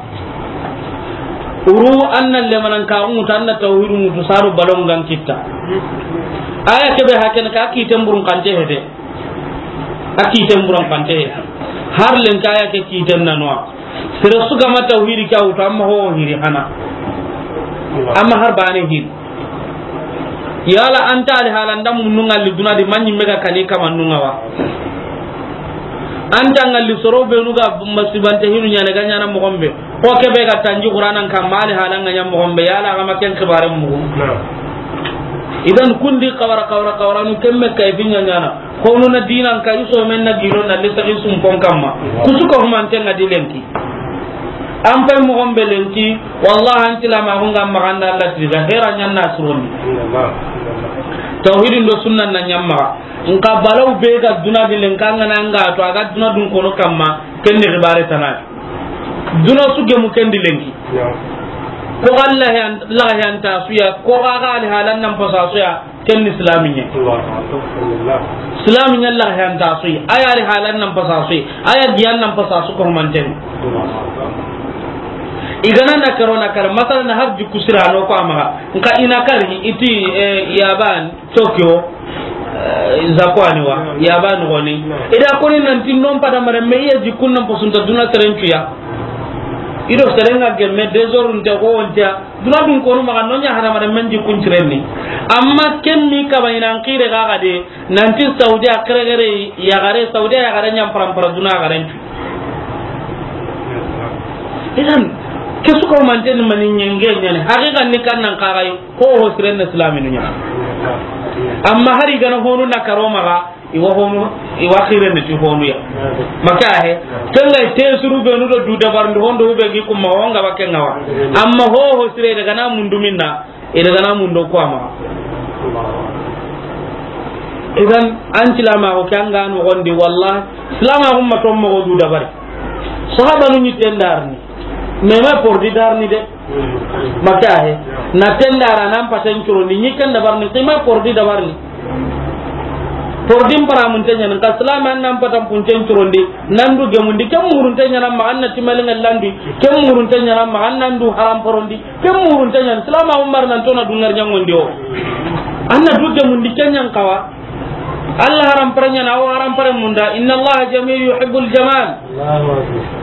Uru anna lemanan ka mutu anna tawhidu mutu saru balaw ngan kitta. Aya kebe hakene ka kiten burun kante hede. A kiten buran pante. Har len kaya ke kiten na noa. Sere su ga ma tawhidi ke a wutu, amma ho hiri hana. Amma har bane hiri. Yala anta ali halan da munnu ngalli duna di manyi mega kani kama nunga wa. Anta ngalli soro benu ga masibante hinu ɲa ne ga ɲa na mogon be. Ko kebe ga tanji Qur'anan kamma ali halan ga ɲa mogon be, yala ga ma ken xibaren mugu. Idan kundi kawara, kawara, kawara nu kemme kay fi ɲa ɲa na. Ko nu na dinan ka iso men na gilo na lisa isum pon kamma. Kusu ko humanten ga di lenki. An pay mogon be lenki, wallahi an tilama ko ngam maganda Allah tiga hera ɲa na suroni. Tawhidin do sunnan na ɲamma. Nka balaw be ga duna di lenka ngana nga to aga duna dun kono kamma. Ken ni xibare tana. Duna su gemu ken di lenki. Ko Allah yan, Allah yan ta su ya, ko aga ali halan nan pasa su ya, ken ni islaminya. Islaminya Allah yan ta su ya, aya ali halan nan pasa su ya, aya giyan nan pasa su ko manten. Igana na karo na kar, masal na har jikku sirano ko amaga. Nka ina kar iti, eh, yaban. Tokyo, eh, Zakwani wa, ya ba no goni. Ida koni nan tin non pada mare me iya jikun nan posunta duna serencuya. Ido serenga gemme désordre nte ko onta. Duna dun kono maga nonya hara mare men jikun tirenni. Amma ken mi kaba ina an kire ga ga de, nan tin Saudi a kere kere ya gare, Saudi ya gare nyam param para duna gare. Idan, ke su ko manten mani ɲenge ɲane. Haqiqa ni kan nan kagai. Ho ho siren na islaminu ɲa. Amma hari gana honu na karo maga, iwa honu, iwa xiren ti honu ya. Maka he, tenga te suru benu do du dabar ndu hondo be gi kuma wonga ba kenga wa. Amma ho ho sire daga na mundu minna, e daga na mundo ko ama. Idan an tilama ko kanga no gondi wallahi, silama umma to mo du dabari. Sahaba nu ni tendarni. Mema pordi darni de. Maka he. Na tendara nan paten curondi, ni kan dabarni, kima pordi dabarni. Pordi mpara mun tenya nan ka salama nan patan puncen curondi, nan du gemundi, kem murun tenya nan ma anna timalin landi, kem murun tenya nan ma anna ndu haram porondi, kem murun tenya nan salama umar nan tona dungar nyangondi o. Anna du gemundi kenyan kawa. Allah haram parenya na o haram pare munda, inna Allah jamil yuhibbul jamal. Allahu akbar.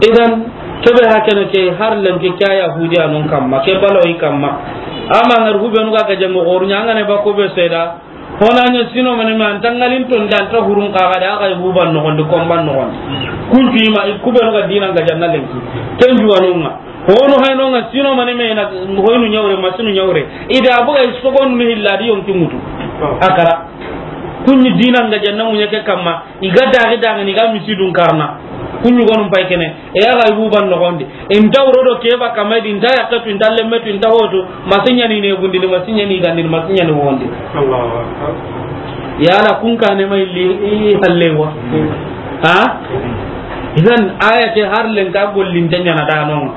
Idan, kebe hakene ke har lenki kya Yahudi anun kamma, ke balawi kamma. Ama ngar hubenu ga gaje mo goru nya ngane ba ko be seda. Hona nya sino mani man tangalin ton dan ta hurun ka ga da ga huban no gondi komban no gondi. Kuntu ima kubenu ga dinan ga janna lenki. Ken juwanunga. Hono hayno nga sino mani me na hoynu nyawre, masinu nyawre. Ida abuga isogon ni hilla di yonki mutu. Akara. Kunni dinan ga janna munya ke kamma. Iga dagi dagi ni ga misidun karna. Ku ɲugonun pay kene, e ya ga i buban noxondi. Inta wuro do keba kamay di, inta yakke tu, inta lemme tu, inta hotu, masiɲani ne gundini, masiɲani gandini, masiɲani wondi. Yala kun kane ma illi i hallewa. Ha? Idan aya ke har len ka gollin tanyana da non.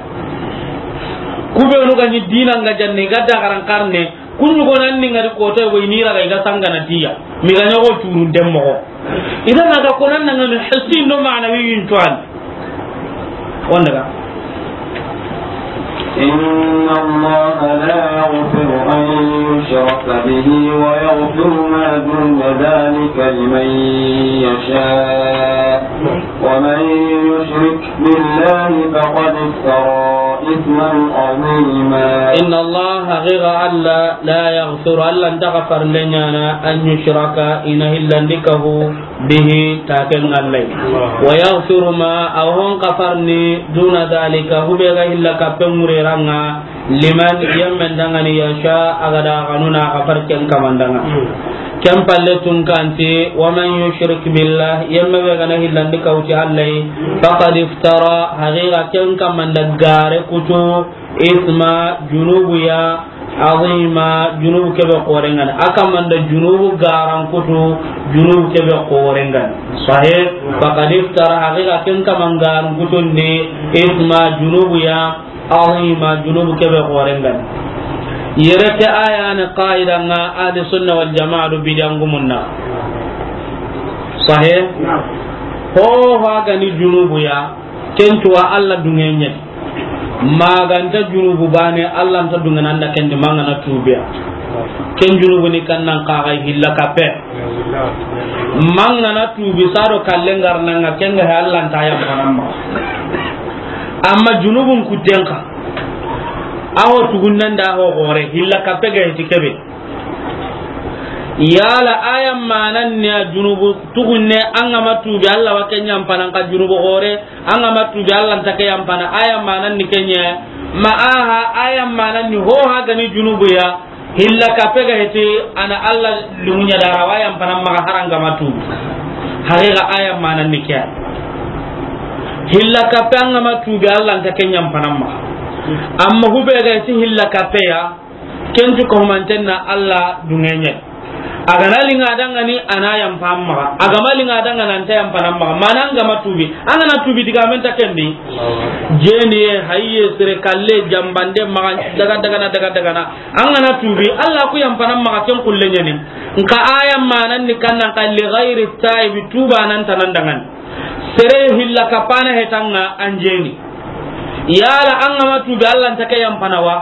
Kubenu ga ni dina nga janne ga da garan karne, Ku ɲugonan ni ngari koto go i ni raga i ga sangana tiya. Mi ga ɲogo turun demmo. Idan aga konan nan ngani hissi no ma'nawi yin tuan. Wanda ga. إن الله لا يغفر أن يشرك به ويغفر ما دون ذلك لمن يشاء ومن يشرك بالله فقد افترى إثما عظيما. إن الله غير ألا لا يغفر ألا أنت غفر لنا أن يشرك إن هلا بك به تاكن الله. ويغفر ما أهون غفرني دون ذلك هو بيغا هلا كبن مريرانا لمن يمن دغني يشاء أغدا غنونا غفر كن كمان دغنا. Ken palle tun kanti, ومن يشرك بالله, yemme be gana hillandi kawti Allah, فقد افترى, haqiqa ken kamanda gare kutu, إثما, junubu ya, عظيما, junubu kebe korengani. A kamanda junubu garan kutu, junubu kebe korengani. Sahih, فقد افترى, haqiqa ken kaman garan kutundi, إثما, junubu ya, عظيما, junubu kebe xoren gani. Yere ke aya ni qaida nga ahli sunna wal jamaa do bidangumunna. Sahih? Ho ho gani junubu ya, ken tuwa Allah dungenye. Maganta junubu bane, Allah nta dungena nda ken di mangana tubiya. Ken junubu ni kannan kaga hilla kape. Mangana tubi saro kallen garnanga kenga he Allah nta yampanamma. Amma junubun kutenka. Aho tugunnanda aho gore hilla kape ga heti kebe. Yala aya manan ne a junubu tugunne an ga ma tubi Allah wa ken yampanan ka junubu gore an ga ma tubi Allah nta ke yampana aya manan ni kenye ma aha aya manan ni ho ha gani junubu ya. Hilla kape ga heti ana Allah lumunya dara wa yampana maga haranga matu. Haqiqa aya manan ni kya. Hilla kape anga matu be Allah nta ken yampana maga. Amma hube ga heti hilla kape ya, kentu ko mantenna Allah dungenye. Agana linga dangani ana yampana maga. Agama linga dangana anta yampana maga. Mana anga matubi. Angana tubi diga menta kendi. Jeni ye, hayye, sere kalle, jambande, maga, daga, daga na, daga, daga na. An gana tubi, Allah ku yampana maxa ken kulle ɲani. Nka aya manan ni kannan ka li ghairi taibi tuba nan tanan dangan. Sere hilla kapana hetanga anjeni. Yala an gama tubi Allah nta ke yampana wa?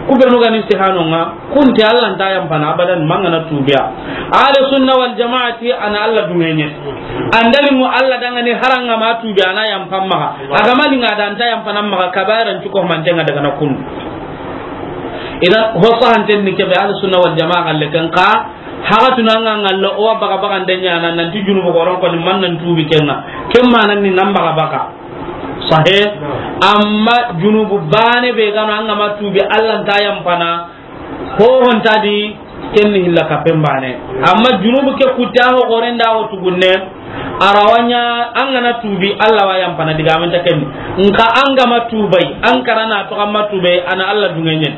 Ku benu gani istihano nga, kunti Allah nta yampana abadan mangana tubiya. Ahli sunna wal jamaati ana Allah dungenye. Andali mu Allah dangani haranga ma tubi ana yampana maxa. Agama linga da anta yampana maxa kabairan cuko mantenga daga na kun. Idan ho sahanten ni kebe ahli sunna wal jamaa galle kan ka haga tunanga ngallo o baga baga ndenya nan nanti junubu goron ko ni man nan tubi kenga. Ken manan ni nan baga baga. Sahe. Amma junubu bane be gano anga ma tubi Allah nta yampana. Ho honta di ken ni hilla kapen bane. Amma junubu ke kuta ho gorenda ho tugunne. Arawanya an gana tubi Allah wa yampana diga men ta ken. Nka an gama tubai an karana to amma tubai ana Allah dungenye.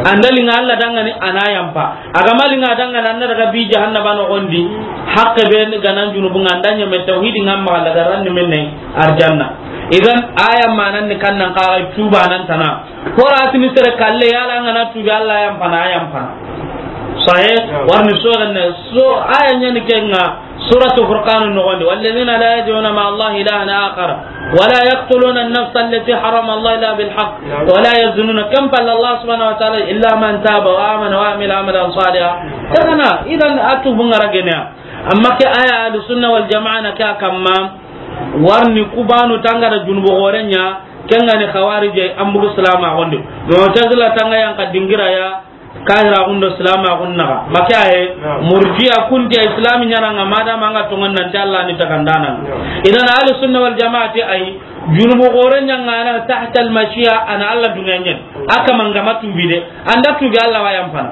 Andali nga Allah dangani ana yampa. Agama linga dangana anna daga bi jahannaba no gondi. Hakke be ganan junubu nga andanya me tauhidi ngamma daga ranni menne arjanna. Idan aya manan ni kannan ka tuba nan tana. Horatini sere kalle yala an gana tubi Allah yampana, a yampana. Sahe, warni so ganne so aya nyani kenga suratu Furqan no gondi, والذين لا يدعون مع الله إلها آخر ولا يقتلون النفس التي حرم الله إلا بالحق ولا يزنون كم قال الله سبحانه وتعالى إلا من تاب وآمن وعمل عملا صالحا. Kana idan atubu ngara genya. Amma ke aya ahli sunna wal jamaa na ke kamma warni kubanu tangara junubu gorenya. Kengani khawarije an bugu silama gondi. Mu'tazila tanga yan ka dingira ya kahira gundo silama gunnaga. Maka he murji'a kunti islami nyana nga madama nga tongon nan ti Allah ni takandana. Idan ahli sunna wal jamaati ay Junubu xoore ɲaŋana tahtal mashiya, a na Alla duŋeɲe. A kama n ga ma tuubi de, an da tuubi Alla wa yanfana.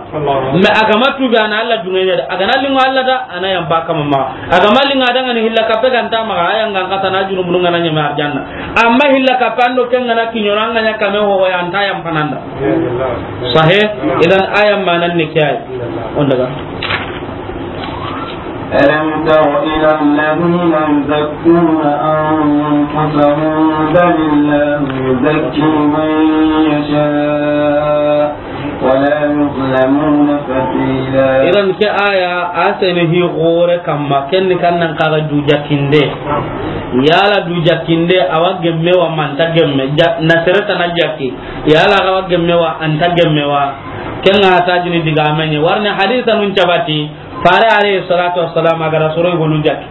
Mais a ga ma tuubi, a na Alla duŋeɲe de. A ga na liŋo Alla da, a na yanfa kama ma. A ga ma liŋa da ŋa ni hilla kappe ga nta maxa, a ya ŋa n xata na junubu ŋa na ɲeme arjanna. Amma hilla kappe an do ken ŋa na kiɲono an ga ɲa kame ho ya nta yanfana n da. Sahe, idan aya manan ni ke ay. On daga. ألم تر إلى الذين يزكون أنفسهم بل الله يزكي من يشاء ولا يظلمون فتيلا. Idan ke aya a sene hi xoore kamma, ken ni kan nan kaga du jakinde. Yala du jakinde a wa gemme wa ma nta gemme, ja-, na sere tana jaki. Yala a ga wa gemme wa, a nta gemme wa. Ken ŋa ta jini digaame ɲi. Warne hadisa nun cabati, Faare alayhi salatu wassalam a ga ra soro yogonu jaki.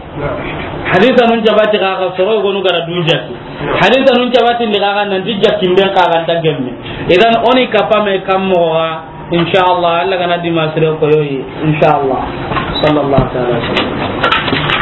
Hadisa nun cabati xa, xa soro yogonu ga ra du jaki. Hadisa nun cabati ndi xa, xa nanti jakimben xa ga nta gemme. Idan o ni kapame kam moxo ga, inshallah, Alla ga na di ma sire ko yoyi, inshallah. Sallallahu ta'ala alaihi wasallam.